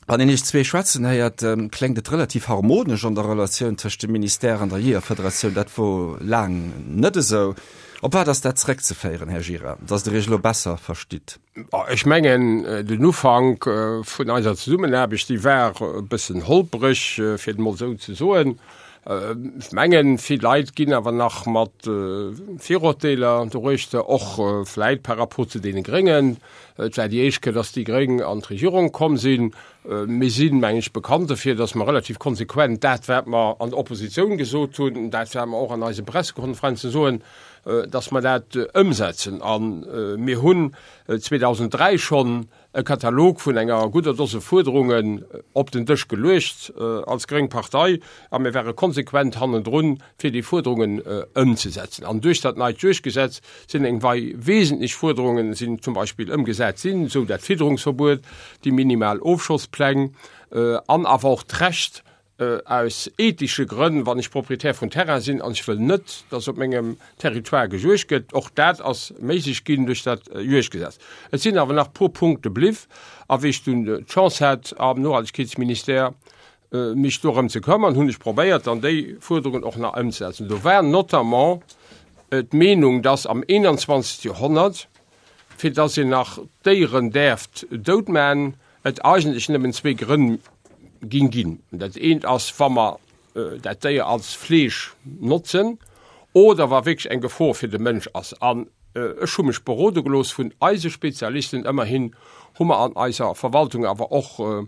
Wann een Iech zwee schwätzen héiert, kléngt et relativ harmonesch an der Relatioun tëscht dem Ministère an der Jeeërfederatioun. Dat wor laang net esou. Op wat ass dat zeréckzeféieren, Här Gira, datt Der Iech elo besser verstitt? Ech mengen, den Ufank vun eiser Zesummenaarbecht, déi war e bëssen holpereg, fir et emol esou ze soen. Ech mengen, vill Leit ginn awer nach mat Virurteeler doruechter, och vläit par rapport zu deene Gréngen. Et war déi éischt Kéier, dass déi Gréng an d'Regierung komm sinn. Mir sinn, mengen ech, bekannt dofir, dass mer relativ konsequent dat, wat mer an der Oppositioun gesot hunn, dat, wat mer och an eise Pressekonferenzen soen, dass mer dat ëmsetzen. A mir hunn 2003 schonn e Katalog vun enger gudder Dose Fuerderungen op den Dësch geluecht als gréng Partei a mir ware konsequent hannendrun, fir déi Fuerderungen ëmzesetzen. An duerch dat neit Juegdgesetz sinn eng Rei wesentlech Fuerderungen sinn zum Beispill ëmgesat sinn, esou dat Fidderungsverbuet, déi minimal Ofschosspläng an awer och d'Recht, Aus ethesche Grënn, wann ech Proprietär vun Terrain sinn an ech wëll net, dass op mengem Territoire gejuegt gëtt, och dat ass méiglech ginn duerch dat Juegdgesetz. Et sinn awer nach e puer Punkte bliw a wéi ech dunn d'Chance hat am Nohaltegkeetsministère mech dorëm ze këmmern, hunn ech probéiert dann déi Fuerderungen och nach ëmzesetzen. Do war notamment d'Meenung, dass am 21. Joerhonnert, fir dass een nach d'Déieren däerft doutman, et eigentlech nëmmen zwéi Grënn ging ginn. Dat eent ass, wa mer dat Déier als Fleesch notzen oder wa wierklech eng Gefor fir de Mënsch ass. An ech hu mech berode gelooss vun eise Spezialisten, ëmmerhin hu mer an eiser Verwaltung awer och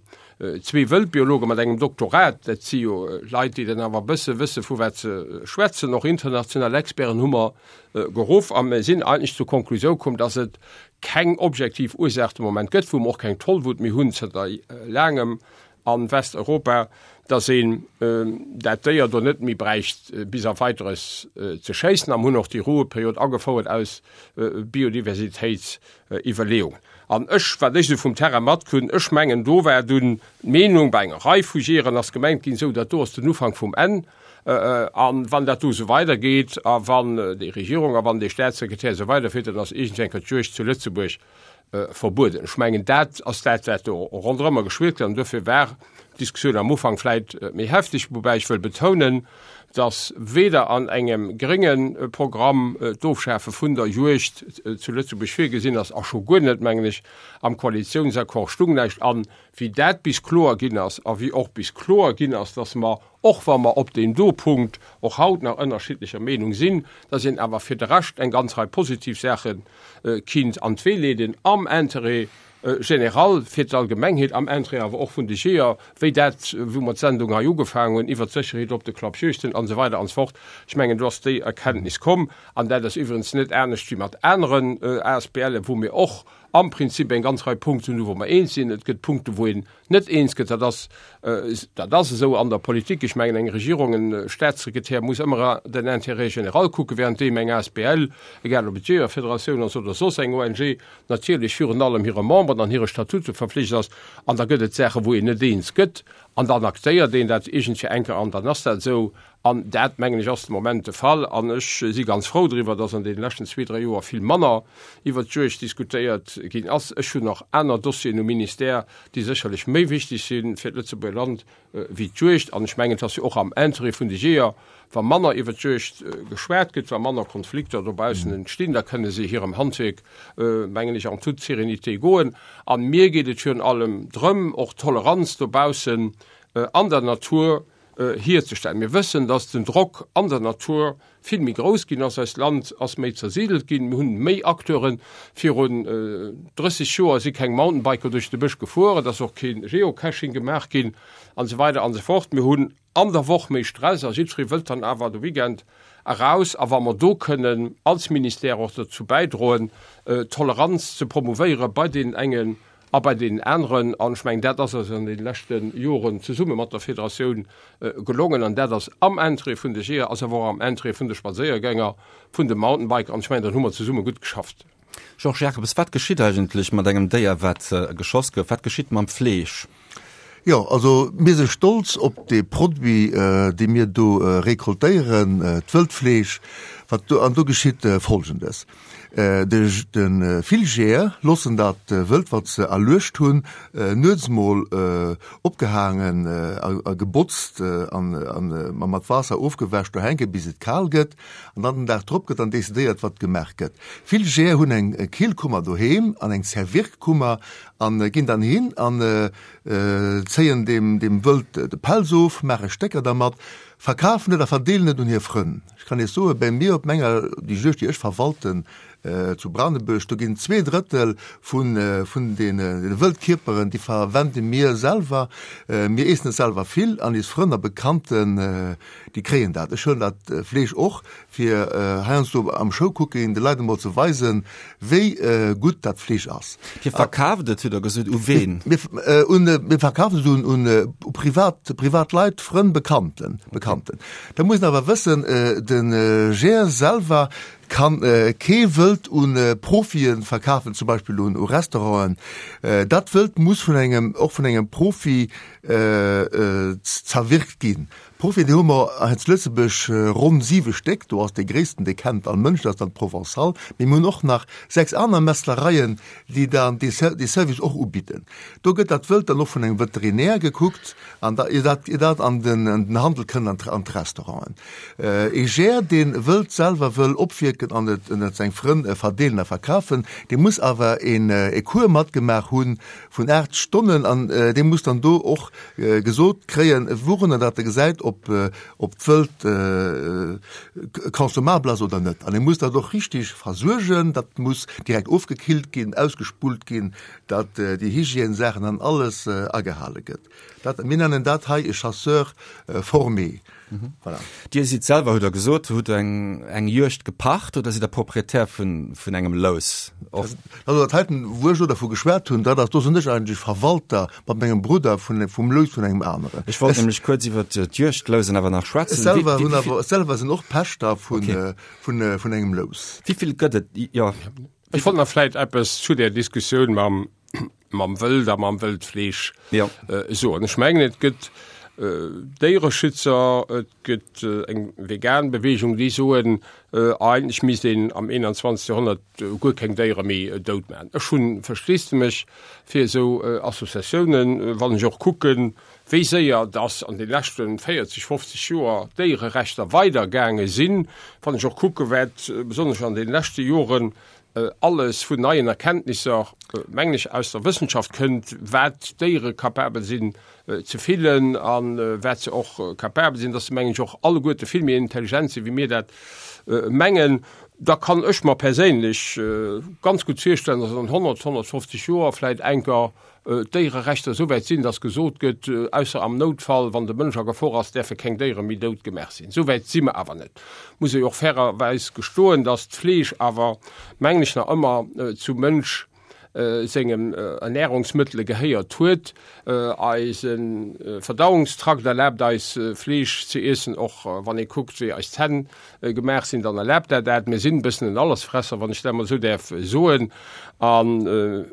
zwee Wëldbiologe mat engem Doktorat, dat si jo Leit, déi dann awer e bësse wësse vu wat se schwätzen, och international Experten hu mer geruff a mir sinn eigentlech zur Konklusioun komm, dass et keng objektiv Ursaach de Moment gëtt, wou mer och keng Tollwut méi hunn zënter laangem a Westeuropa, dass een dat Déier do net méi bräicht bis auf Weiteres ze schéissen. A mer hunn och déi Ruheperiod agefouert aus Biodiversitétsiwwerleeungen. An ech, wat ech esou vum Terrain matkritt hunn, ech mengen, do war dunn d'Meenung bei enger Rei vu Jeeër, ass gemengt ginn, esou dat do ass den Ufank vum Enn. A wann dat do esou weidergeet a wann déi Regierung a wann dee Staatssekretär esou weiderfiert, dann ass iergendwéi eng Kéier d'Juegd zu Lëtzebuerg verbueden. Ech mengen, dat ass dat, wat do ronderëmmer geschwirrt gëtt. An duerfir war d'Diskussioun am Ufank vläicht méi hefteg, woubäi ech wëll betounen, dass weder an engem grénge Programm d'Ofschafe vun der Juegd zu Lëtzebuerg virgesinn ass a scho guer net, mengen ech, am Koalitiounsaccord stung näischt. An wéi dat bis kloer ginn ass a wéi och bis kloer ginn ass, dass mer Och wa mer op deem do Punkt och haut nach ënnerschiddlecher Meenung sinn, dass een awer fir de Rescht eng ganz Rei positiv Saache kinnt an d'Wee leeden am Intérêt général, fir d'Allgemengheet, am Intérêt awer och vun de Jeeër, wéi dat, wou mer d'Sendung hei ugefaangen hunn, iwwert d'Sécherheet op de Klappjuegten an esou weider an esou fort. Ech mengen, do ass déi Erkenntnis komm. An dat ass iwwerens net anescht wéi mat aneren ASBLen, wou mir och am Prinzip eng ganz Rei Punkten hunn, wou mer eens sinn. Et gëtt Punkten, wou een net eens gëtt. Dat ass, dat ass esou an der Politik. Ech mengen, eng Regierung, e Statssekretär muss ëmmer den Intérêt général kucken, währenddeem eng asbl, egal ob et d'Jeeërfederatioun ass oder soss eng ONG, natierlech virun allem hire Memberen an hire Statute verflicht ass. An da gëtt et Saachen, wou een net eens gëtt an dann aktéiert een dat iergendfir enker an dann ass dat esou. An dat, mengen ech, ass de Moment de Fall. An ech si ganz frou driwwer, dass an deene leschten zwee, dräi Joer vill manner iwwert d'Juegd diskutéiert ginn ass. Ech hunn nach aner Dossieren um Ministère, déi sécherlech méi wichteg si fir d'Lëtzebuerger Land wéi d'Juegd. An ech mengen, et ass jo och am Intérêt vun de Jeeër, wa manner iwwert d'Juegd geschwat gëtt, wa manner Konflikter dobaussen entstinn. Da kënne se hirem Handwierk, mengen ech, en toute sérénité goen. A mir geet et virun allem drëm, och d'Toleranz dobaussen an der Natur hierzestellen. Mir wëssen, dass den Drock an der Natur vill méi grouss ginn ass. Eist Land ass méi zersidelt ginn. Mir hunn méi Acteuren. Virun 30 Joer si keng Mountainbiker duerch de Bësch gefuer. Et ass och kee Geocaching gemaach ginn an esou weider an esou fort. Mir hunn an der Woch méi Stress a jiddweree wëllt dann awer de Weekend eraus. A wa mer do kënnen als Ministère och dozou bäidroen, Toleranz ze promouvéiere bei deenen engen A bei deenen aneren, an ech mengen, dat ass eis an deene leschte Joren zesumme mat der Federatioun gelongen, an dat ass am Interêt vun de Jeeër, ass awer och am Interêt vun de Spadséiergänger, vun de Mountainbiker, an ech mengen, dann hu mer zesumme gutt geschafft. Georges Jacobs, Wat geschitt eigentlech mat engem Déier, wat geschoss gouf? Wat geschitt mam Fleesch? Jo, also mir si stolz op dee Produit, dee mir do recoltéieren, d'Wëldfleesch. Wat do, an do geschitt Folgendes, De vill Jeeër loossen dat Wëld, wat se erluecht hunn, nuets mol opgehaangen a gebotzt an mat Waasser ofgewäsch do hänken, bis et kal gëtt. An dann den Dag drop gëtt dann decidéiert, wat gemaach gëtt. Vill Jeeër hunn eng Killkummer doheem an eng Zerwirkkummer an ginn dann hin an zéien deem Wëld de Pelz of, maache Stécker dermat. Verkafen et a verdeelen et un hir Frënn. Ech kann Iech soen, bei mir op menger, déi Juegd, déi ech verwalten zu Branebuerg, do ginn 2/3 vun, vun deene Wëldkierperen, déi verwende mir selwer. Mir eessen et selwer vill an eis Frënn a Bekannten, déi kréien dat. Ech huelen dat Fleesch och fir heiansdo am Showcooking de Leit emol ze weisen, wéi gutt dat Fleesch ass. Dir verkaaft et, hutt Der gesot, u ween? Mir verkafen et un privat, privat Leit, Frënn, Bekannten, Bekannten. Da muss een awer wëssen, de Jeeër selwer kann kee Wëld u Profie verkafen, zum Beispill un Restauranten. Dat Wëld muss vun engem, och vun engem Profi zerwirkt ginn. Profien, déi hu mer hei zu Lëtzebuerg ronn siwe Stéck. Do ass dee gréissten, dee kennt all Mënsch, dat ass dann d'Provençale. Mee mir hunn och nach 6 aner Metzlereien, déi dann dee Service och ubidden. Do gëtt dat Wëld dann och vun engem Veterinär gekuckt an da, ier dat, ier dat an den, an den Handel kënnt, an an d'Restauranten. Ee Jeeër, dee Wëld selwer wëll opwierken an et ënnert seng Frënn verdeelen a verkafen, dee muss awer een e Cours matgemaach hu vun 8 Stonnen an dee muss dann do och gesot kréien, wourunner dat e gesäit, ob ob d'Wëld consommabel ass oder net. An e muss dat och richtig versuergen, dat muss direkt ofgekillt ginn, ausgespullt ginn, datt déi Hygiènesaachen an alles agehale gëtt. Dat, mir nennen dat hei e Chasseur formé. Voilà. Dir sidd selwer, hutt Der gesot, hutt eng, eng Juegd gepacht oder sidd Der Proprietär vun, vun engem Lous? Och. Also dat heiten, wou ech elo dervu geschwat hunn, dat ass, do sinn ech eigentlech Verwalter mat mengem Brudder vun, vum Lous vun engem aneren. Ech wollt nämlech kuerz iwwert d'Juegdlousen awer nach schwätzen. Ech selwer hunn awer, ech selwer sinn och Pächter vun, vun, vun engem Lous. Wéi vill gëtt et? Jo. Ech wollt nach vläit eppes zu där Diskussioun mam, mam Wëld a mam Wëldfleesch ja. äh, soen. Ech mengen et gëtt äh, Déiereschützer, et gëtt äh, eng vegan Bewegung, déi soen äh, eigentlech misst een am 21. Jahrhundert äh, guer keng Déiere méi äh, dout man. Ech hunn Versteesdemech fir esou äh, Associatiounen, äh, wann ech och kucken, wéi séier dass an de leschten 40, 50 Joer d'Déiererechter weidergaange sinn, wann ech och kucke wat äh, besonnesch an den leschte Joren alles vun neien Erkenntnisser, mengen ech, aus der Wëssenschaft kënnt, wat d'Déiere capabel sinn ze fillen a wat se och capabel sinn, dass se, mengen ech, och alleguerte vill méi intelligent sinn, wéi mir dat mengen, da kann ech mer perséinlech ganz gutt virstellen, dass an 100, 150 Joer vläicht enker d'Déiererechter esou wäit sinn, dass gesot gëtt, ausser am Noutfall, wann de Mënsch a Gefor ass, däerfe keng Déiere méi dout gemaach sinn. Esou wäit si mer awer net. Muss ee jo och fairerweis gestoen, dass d'Fleesch awer, mengen ech, nach ëmmer zum Mënsch sengem Ernährungsmëttele gehéiert huet. Eise Verdauungstrakt erlaabt eis, Fleesch ze iessen, och wann ee kuckt, wéi eis Zänn gemaach sinn, dann erlaabt dat dat. Mir sinn e bëssen en Allesfresser, wann ech dat emol esou däerf soen. An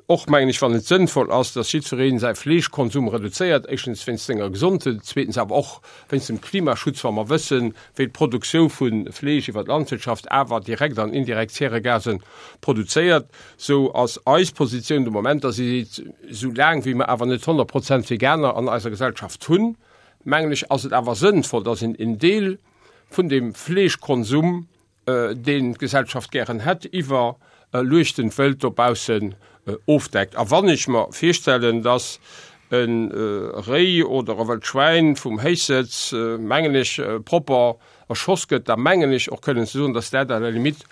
och, mengen ech, wann et sënnvoll ass, dass jiddweree säi Fleeschkonsum reduzéiert, éischtens wéinst senger Gesondheet, zweetens awer och wéinst dem Klimaschutz, wa mer wëssen, wéi d'Produktiou vu Fleesch iwwer d'Landwirtschaft awer direkt an indirekt Zäregasen produzéiert, sou ass eis Positioun de Moment, dass ee seet, sou laang wéi mer awer net 100 Prozent Veganer an eiser Gesellschaft hunn, mengen ech, ass et awer sënnvoll, dass een en Deel vun dem Fleeschkonsum, deen d'Gesellschaft gären hätt, iwwer luechtend Wëld dobaussen ofdeckt. A wann ech mer virstellen, dass e Réi oder e wëllt Schwäin vum Héichsëtz, mengen ech, propper erschoss gëtt, da mengen ech och kënnen ze soen, dass dat à la limite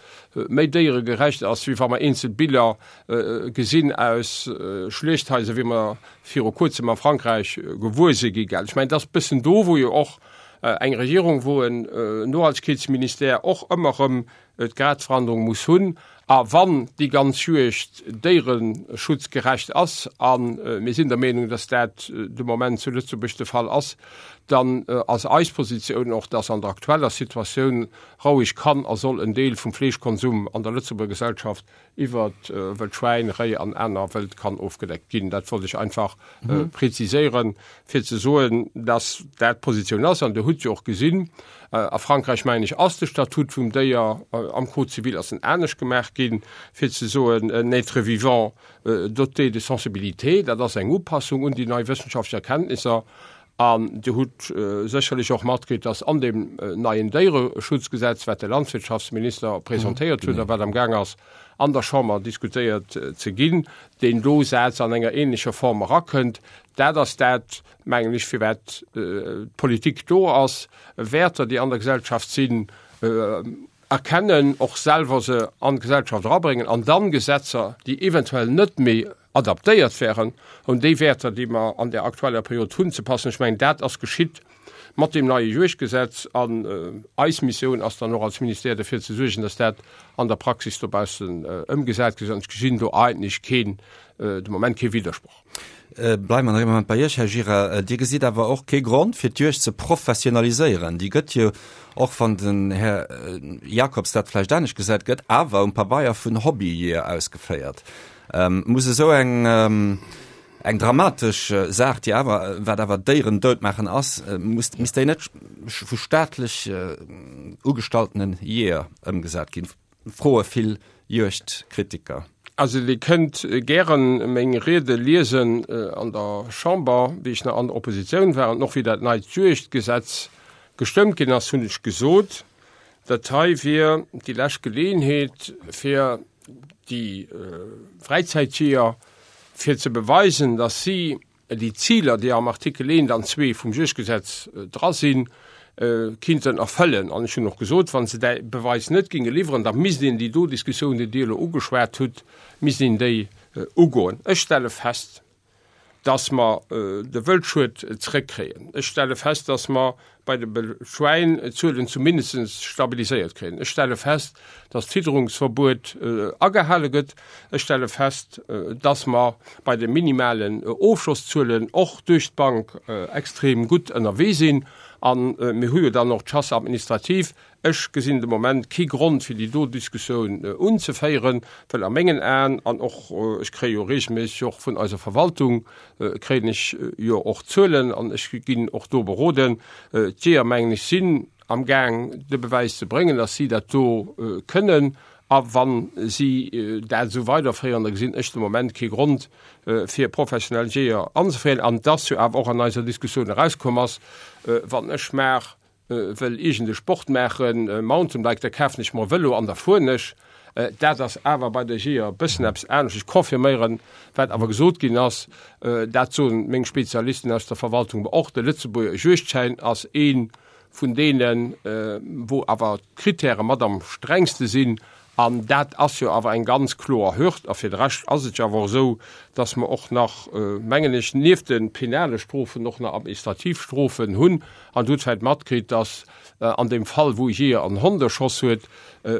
méi déieregerecht ass, wéi wa mer eenzel Biller gesinn aus Schluechthaiser, wéi mer viru kuerzem a Frankräich gewuer si gi. Ech mengen, dat ass e bëssen do, wou jo och Eng Regierung, wou en Nohaltegkeetsministère och ëmmer erëm d'Gradverhandlung muss hunn, a wann déi ganz Juegd déiereschutzgerecht ass, a mir sinn der Meenung, dass dat de Moment zu Lëtzebuerg de Fall ass, dann ass eis Positioun och, dass an der aktueller Situatioun roueg kann a soll en Deel vum Fleeschkonsum an der Lëtzebuerger Gesellschaft iwwer wëllt Schwäin, Réi an aner Wëld kann ofgedeckt ginn. Dat wollt ech einfach präziséieren, fir ze soen, dass dat d'Positioun ass. An Der hutt jo och gesinn, a Frankräich, mengen ech, ass de Statut vum Déier am Code civil ass en anescht gemaach ginn, fir ze soen, un être vivant doté de sensibilité. Dat ass eng Upassung un déi nei wëssenschaftlech Erkenntnisser. An Dir hutt sécherlech och matkritt, dass an deem neien Déiereschutzgesetz, wat de Landwirtschaftsminister presentéiert huet a wat am Gaang ass an der Chamber diskutéiert ze ginn, deen do Saz an enger ähnlecher Form erakënnt. Dat ass dat, mengen ech, firwat d'Politik do ass, Wäerter, déi an der Gesellschaft sinn, erkennen, och selwer se an d'Gesellschaft erabréngen an dann Gesetzer, déi eventuell net méi adaptéiert wären, un déi Wäerter, déi mer an der aktueller Period hunn, ze passen. Ech mengen, dat ass geschitt mat deem neie Juegdgesetz an eis Missioun ass dann och als Ministère derfir ze suergen, dass dat an der Praxis dobaussen ëmgesat gëtt. An ech gesinn do eigentlech keen, de Moment kee Widdersproch. Bleiwe mer nach ee Moment bei Iech, Här Gira. Dir gesitt awer och kee Grond, fir d'Juegd ze professionaliséieren. Déi gëtt jo, och wann den Här Jacobs dat vläicht anescht gesäit, gëtt awer um Pabeier vun Hobbyjeeër ausgeféiert. Muss esou eng, eng dramatesch Saach, déi awer, wat awer Déieren dout maachen ass, muss, misst déi net vu staatlech ugestalltene Jeeër ëmgesat ginn? Froe vill Juegdkritiker. Also Dir kënnt gären meng Riede liesen an der Chamber, wéi ech nach an der Oppositioun war an och wéi dat neit Juegdgesetz gestëmmt ginn ass, hunn ech gesot, dat hei wier déi lescht Geleeënheet fir déi Fräizäitjeeër, fir ze beweisen, datt si déi Ziler, déi am Artikel 1 an 2 vum Juegdgesetz dra sinn, kinnten erfëllen. An ech hunn och gesot, wa se däi Beweis net géinge liwweren, da misst een déi do Diskussioun, déi Dir elo ugeschwat hutt, misst een déi ugoen. Ech stelle fest, dass mer de Wëldschued zrëckkréien. Ech stelle fest, dass mer bei de Schwäin d'Zuelen zumindest stabiliséiert kréien. Ech stelle fest, dass d'Fidderungsverbuet agehale gëtt. Ech stelle fest, dass mer bei de minimalen Ofschosszuelen och duerch d'Bank extrem gutt ënnerwee sinn. A mir hu jo dann och d'Chasse administrative. Ech gesinn de Moment kee Grond, fir déi do Diskussioun unzeféieren, well a mengen Aen, an och ech kréie jo regelméisseg och vun eiser Verwaltung kréien ech jo och Zuelen an ech ginn och do beroden, d'Jeeër, mengen ech, sinn am Gaang de Bewäis ze bréngen, datt si dat do kënnen. A wa si dat esou weiderféieren, da gesinn ech de Moment kee Grond, fir professionell Jeeër anzeféieren. An et ass jo awer och an eiser Diskussioun erauskomm ass, wann ech mar wëll iergend e Sport maachen, Mountainbike, da kafen ech mer e Vëlo an da fueren ech. Dat ass awer bei der Jeeër e bëssen eppes anescht. Ech confirméieren, wat awer gesot ginn ass, dat soen meng Spezialisten aus der Verwaltung mer och, de Lëtzebuerger Juegdschäin ass ee vun deenen, wou awer d'Kritäre mat am strengste sinn. An dat ass jo awer eng ganz kloer Hürd. A fir de Rescht ass et jo awer och esou, dass mer och nach, mengen ech, nieft de penale Strofen och nach administrativ Strofen hunn. An Der hutt vläicht matkritt, dass an deem Fall, wou e Jeeër en Hond erschoss huet,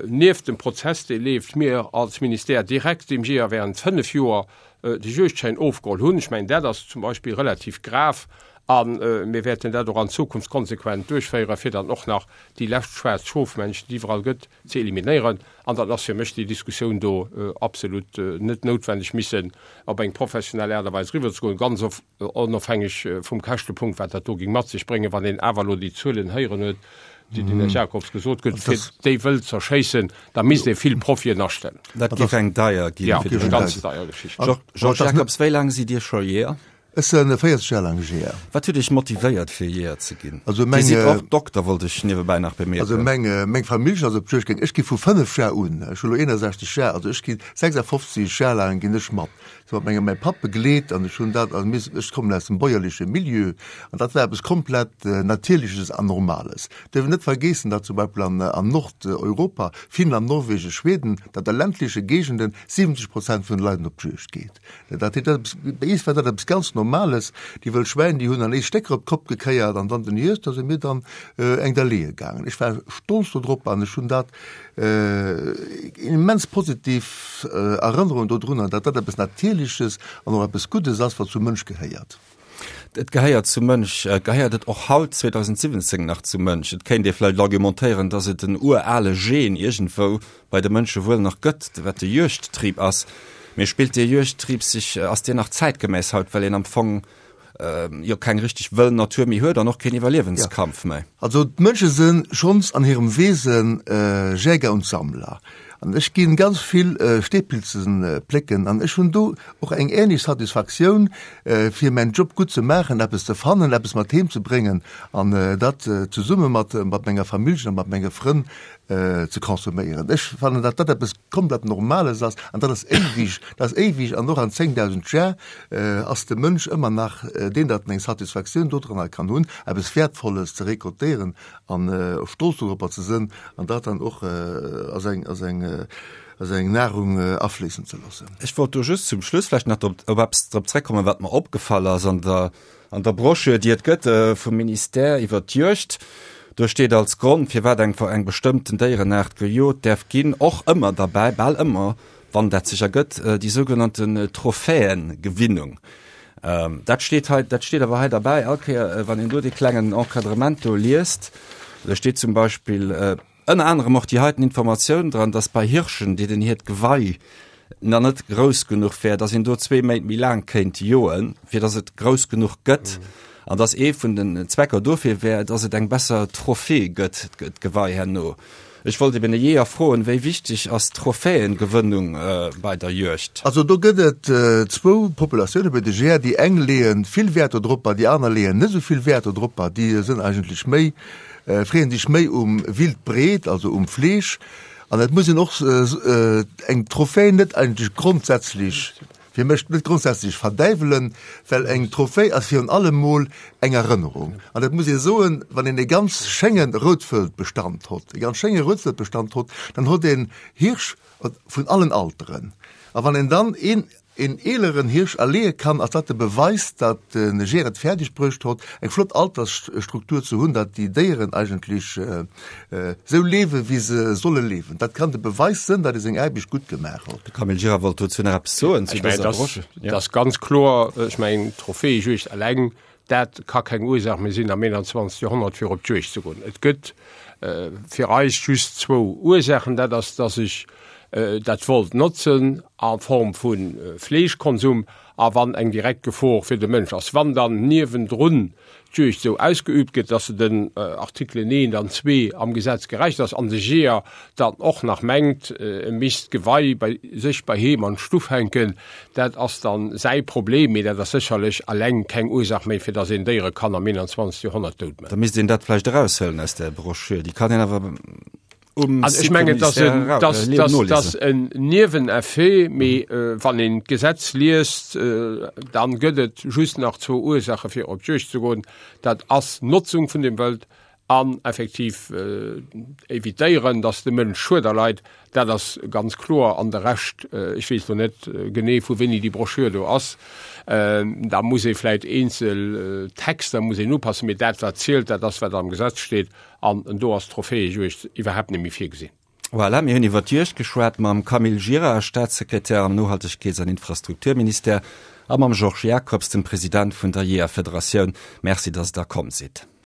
nieft dem Prozess, dee leeft, mir als Ministère direkt deem Jeeër während fënnf Joer de Juegdschäin ofgeholl hunn. Ech mengen, dat ass zum Beispill relativ grav. A mir wäerten dat och an Zukunft konsequent duerchféieren, fir dann och nach déi lescht schwaarz Schofmännchen, déi iwwerall gëtt, ze eliminéieren. An dann ass fir mech déi Diskussioun do absolut net noutwenneg, missen op eng professionell Aart a Weis eriwwerzegoen, ganz onofhängeg vum Käschtepunkt, wat dat do géing mat sech bréngen, wann een awer elo déi Zuelen héieren huet, déi den Här Jacobs gesot huet, fir déi wëll z'erschéissen, da misst ee vill Profien astellen. Dat géif eng deier ginn. Jo, eng ganz deier Geschicht. Georges Jacobs, wéi laang sidd Dir scho Jeeër? Ech sinn 40 Joer laang Jeeër. Wat huet Iech motivéiert fir Jeeër ze ginn? Also meng, Dir sidd och Dokter, wollt ech niewebäi nach bemierken. Also meng, meng Famillj ass op d'Juegd gaang. Ech gi vu 5 Joer un, ech hu lo 61 Joer, also ech gi 56 Joer laang ginn ech mat. Ech hu mat mengem, mäi Papp begleet an ech hunn dat, also mir, ech kommen aus dem bäuerleche Milieu an dat war eppes komplett Natierleches an Normales. Dierf een net vergeessen, datt zum Beispill an, an Nordeuropa, Finnland, Norwegen, Schweden, datt a ländleche Géigenden 70 Prozent vun de Leit op d'Juegd geet. Dat heet, dat bei eis war dat eppes ganz Normales. Déi wëll Schwäin, déi hunn an eis Stécker op d'Kopp gekéiert an dann den Hierscht, da si mir dann eng der leeë gaangen. Ech war stolz do drop an ech hunn dat immens positiv Erënnerung dodrunner, datt dat eppes Natierleches an och eppes Guddes ass, wat zum Mënsch gehéiert. Et gehéiert zum Mënsch. Gehéiert et och haut, 2017, nach zum Mënsch? Et kéint ee vläicht argumentéieren, datt et en urale Gen iergendwou bei de Mënsche wuel nach gëtt, wat de Juegdtrieb ass. Mee spillt dee Juegdtrieb sech, ass deen nach zäitgemäss haut, well een am Fong jo keng richteg wëll Natur méi huet an och keen Iwwerliewenskampf méi? Also d'Mënsche si schonns an hirem Wesen Jäger und Sammler. An ech gi ganz vill Steepilzen plécken an ech hunn do och eng ähnlech Satisfaktioun, fir mäin Job gutt ze maachen, eppes ze fannen, eppes mat heem ze bréngen an dat zesumme mat menger Familljen a mat menge Frënn ze consomméieren. Ech fannen, datt dat eppes komplett Normales ass an dat ass éiwig, dat ass éiwig an och an 10.000 Jar ass de Mënsch ëmmer nach deen, datt en eng Satisfaktioun dodranner kann hunn, eppes Wäertvolles ze récoltéieren an stolz doropper ze sënn an dat dann och a seng, a seng, a seng Nahrung afléissen ze loossen. Ech wollt do just zum Schluss vläicht nach drop, op eppes drop zréckkommen, wat mer opgefall ass an der, an der Broschür, déi et gëtt vum Ministère iwwert d'Juegd. Do steet als Grond, firwat eng, eng bestëmmten Déierenaart gejot däerf ginn, och ëmmer derbäi, bal ëmmer, wann dat sech ergëtt, déi sougenannten Trophäengewinnung. Dat steet hei, dat steet awer hei derbäi, all Kéier, wann een do dee klengen Encadrement do liest, do steet zum Beispill ënner anerem och déi heiten Informatioun dran, dass bei Hirschen, deenen hiert Gewei nach net grouss genuch wär, dass een do zwee Méint méi laang kéint joen, fir dass et grouss genuch gëtt, an dass ee vun den Zwecker dofir wär, dass et eng besser Trophée gëtt, d'Gewei herno. Ech wollt eben e Jeeër froen, wéi wichteg ass d'Trophäengewënnung bei der Juegd? Also do gëtt et zwou Populatioune bei de Jeeër, déi eng leeë vill Wäert dodropper, déi aner leeën net esou vill Wäert dodropper. Déi sënn eigentlech méi, freeën sech méi um Wildbret, also um Fleesch. An et muss een och eng Trophäe net eigentlech grondsätzlech Fir mech net grondsätzlech verdäiwelen, well eng Trophäe ass virun allem mol eng Erënnerung. An et muss ee soen, wann een e ganz schénge Routwëldbestand hott, e ganz schénge Routwëldbestand hott, dann hott een Hirsch vun allen Alteren. A wann een dann een een eeleren Hirsch erleeë kann, ass dat de Beweis, datt de Jeeër et fäerdeg bruecht hott, eng flott Altersstruktur ze hunn, datt déi Déieren eigentlech Sou leewen, wéi se solle leewen. Dat kann de Beweis sënn, datt ee seng Aarbecht gutt gemaach huet. De Camille Gira wollt dozou nach eppes soen zu dëser Broschür. Dat ass ganz kloer. Ech mengen, d'Trophäejuegd eleng, dat ka keng Ursaach méi sinn am 21. Joerhonnert, fir op d'Juegd ze goen. Et gëtt fir eis just zwou Ursaachen. Dat ass, datt ech dat wollt notzen a Form vu Fleeschkonsum a wann eng direkt Gefor fir de Mënsch ass. Wann dann niewendrun d'Juegd esou ausgeübt gëtt, dass se den Artikelen 1 an 2 am Gesetz gerecht ass, an de Jeeër dann och nach mengt, e misst d'Gewei bei sech bei heem an d'Stuff hänken, dat ass dann säi Problem, mee dat ass sécherlech alleng keng Ursach méi, fir dass een Déiere kann am 21. Joerhonnert dout man. Da misst een dat vläicht eraushuelen aus där Broschür. Déi kann een awer um Also ech mengen, dass en, dass, dass, dass en Nieweneffet, mee wann een d'Gesetz liest, dann gëtt et just nach zwou Ursache fir op d'Juegd ze goen, dat ass Notzung vun dem Wëld an effektiv evitéieren, dass de Mënsch Schued erleit. Dat ass ganz kloer. An de Rescht, ech weess lo net genee vu wéini déi Broschür do ass, da muss ee vläicht eenzel Texter muss een upassen, mee dat wat zielt, dat ass wat am Gesetz steet. An do ass d'Trophäejuegd iwwerhaapt net méi virgesinn. Voilà, mir hunn iwwer d'Juegd geschwat mam Camille Gira, Staatssekretär am Nohaltegkeets an Infrastrukturministère, a mam Georges Jacobs, dem President vun der Jeeërfederatioun. Merci, dass Der komm sidd.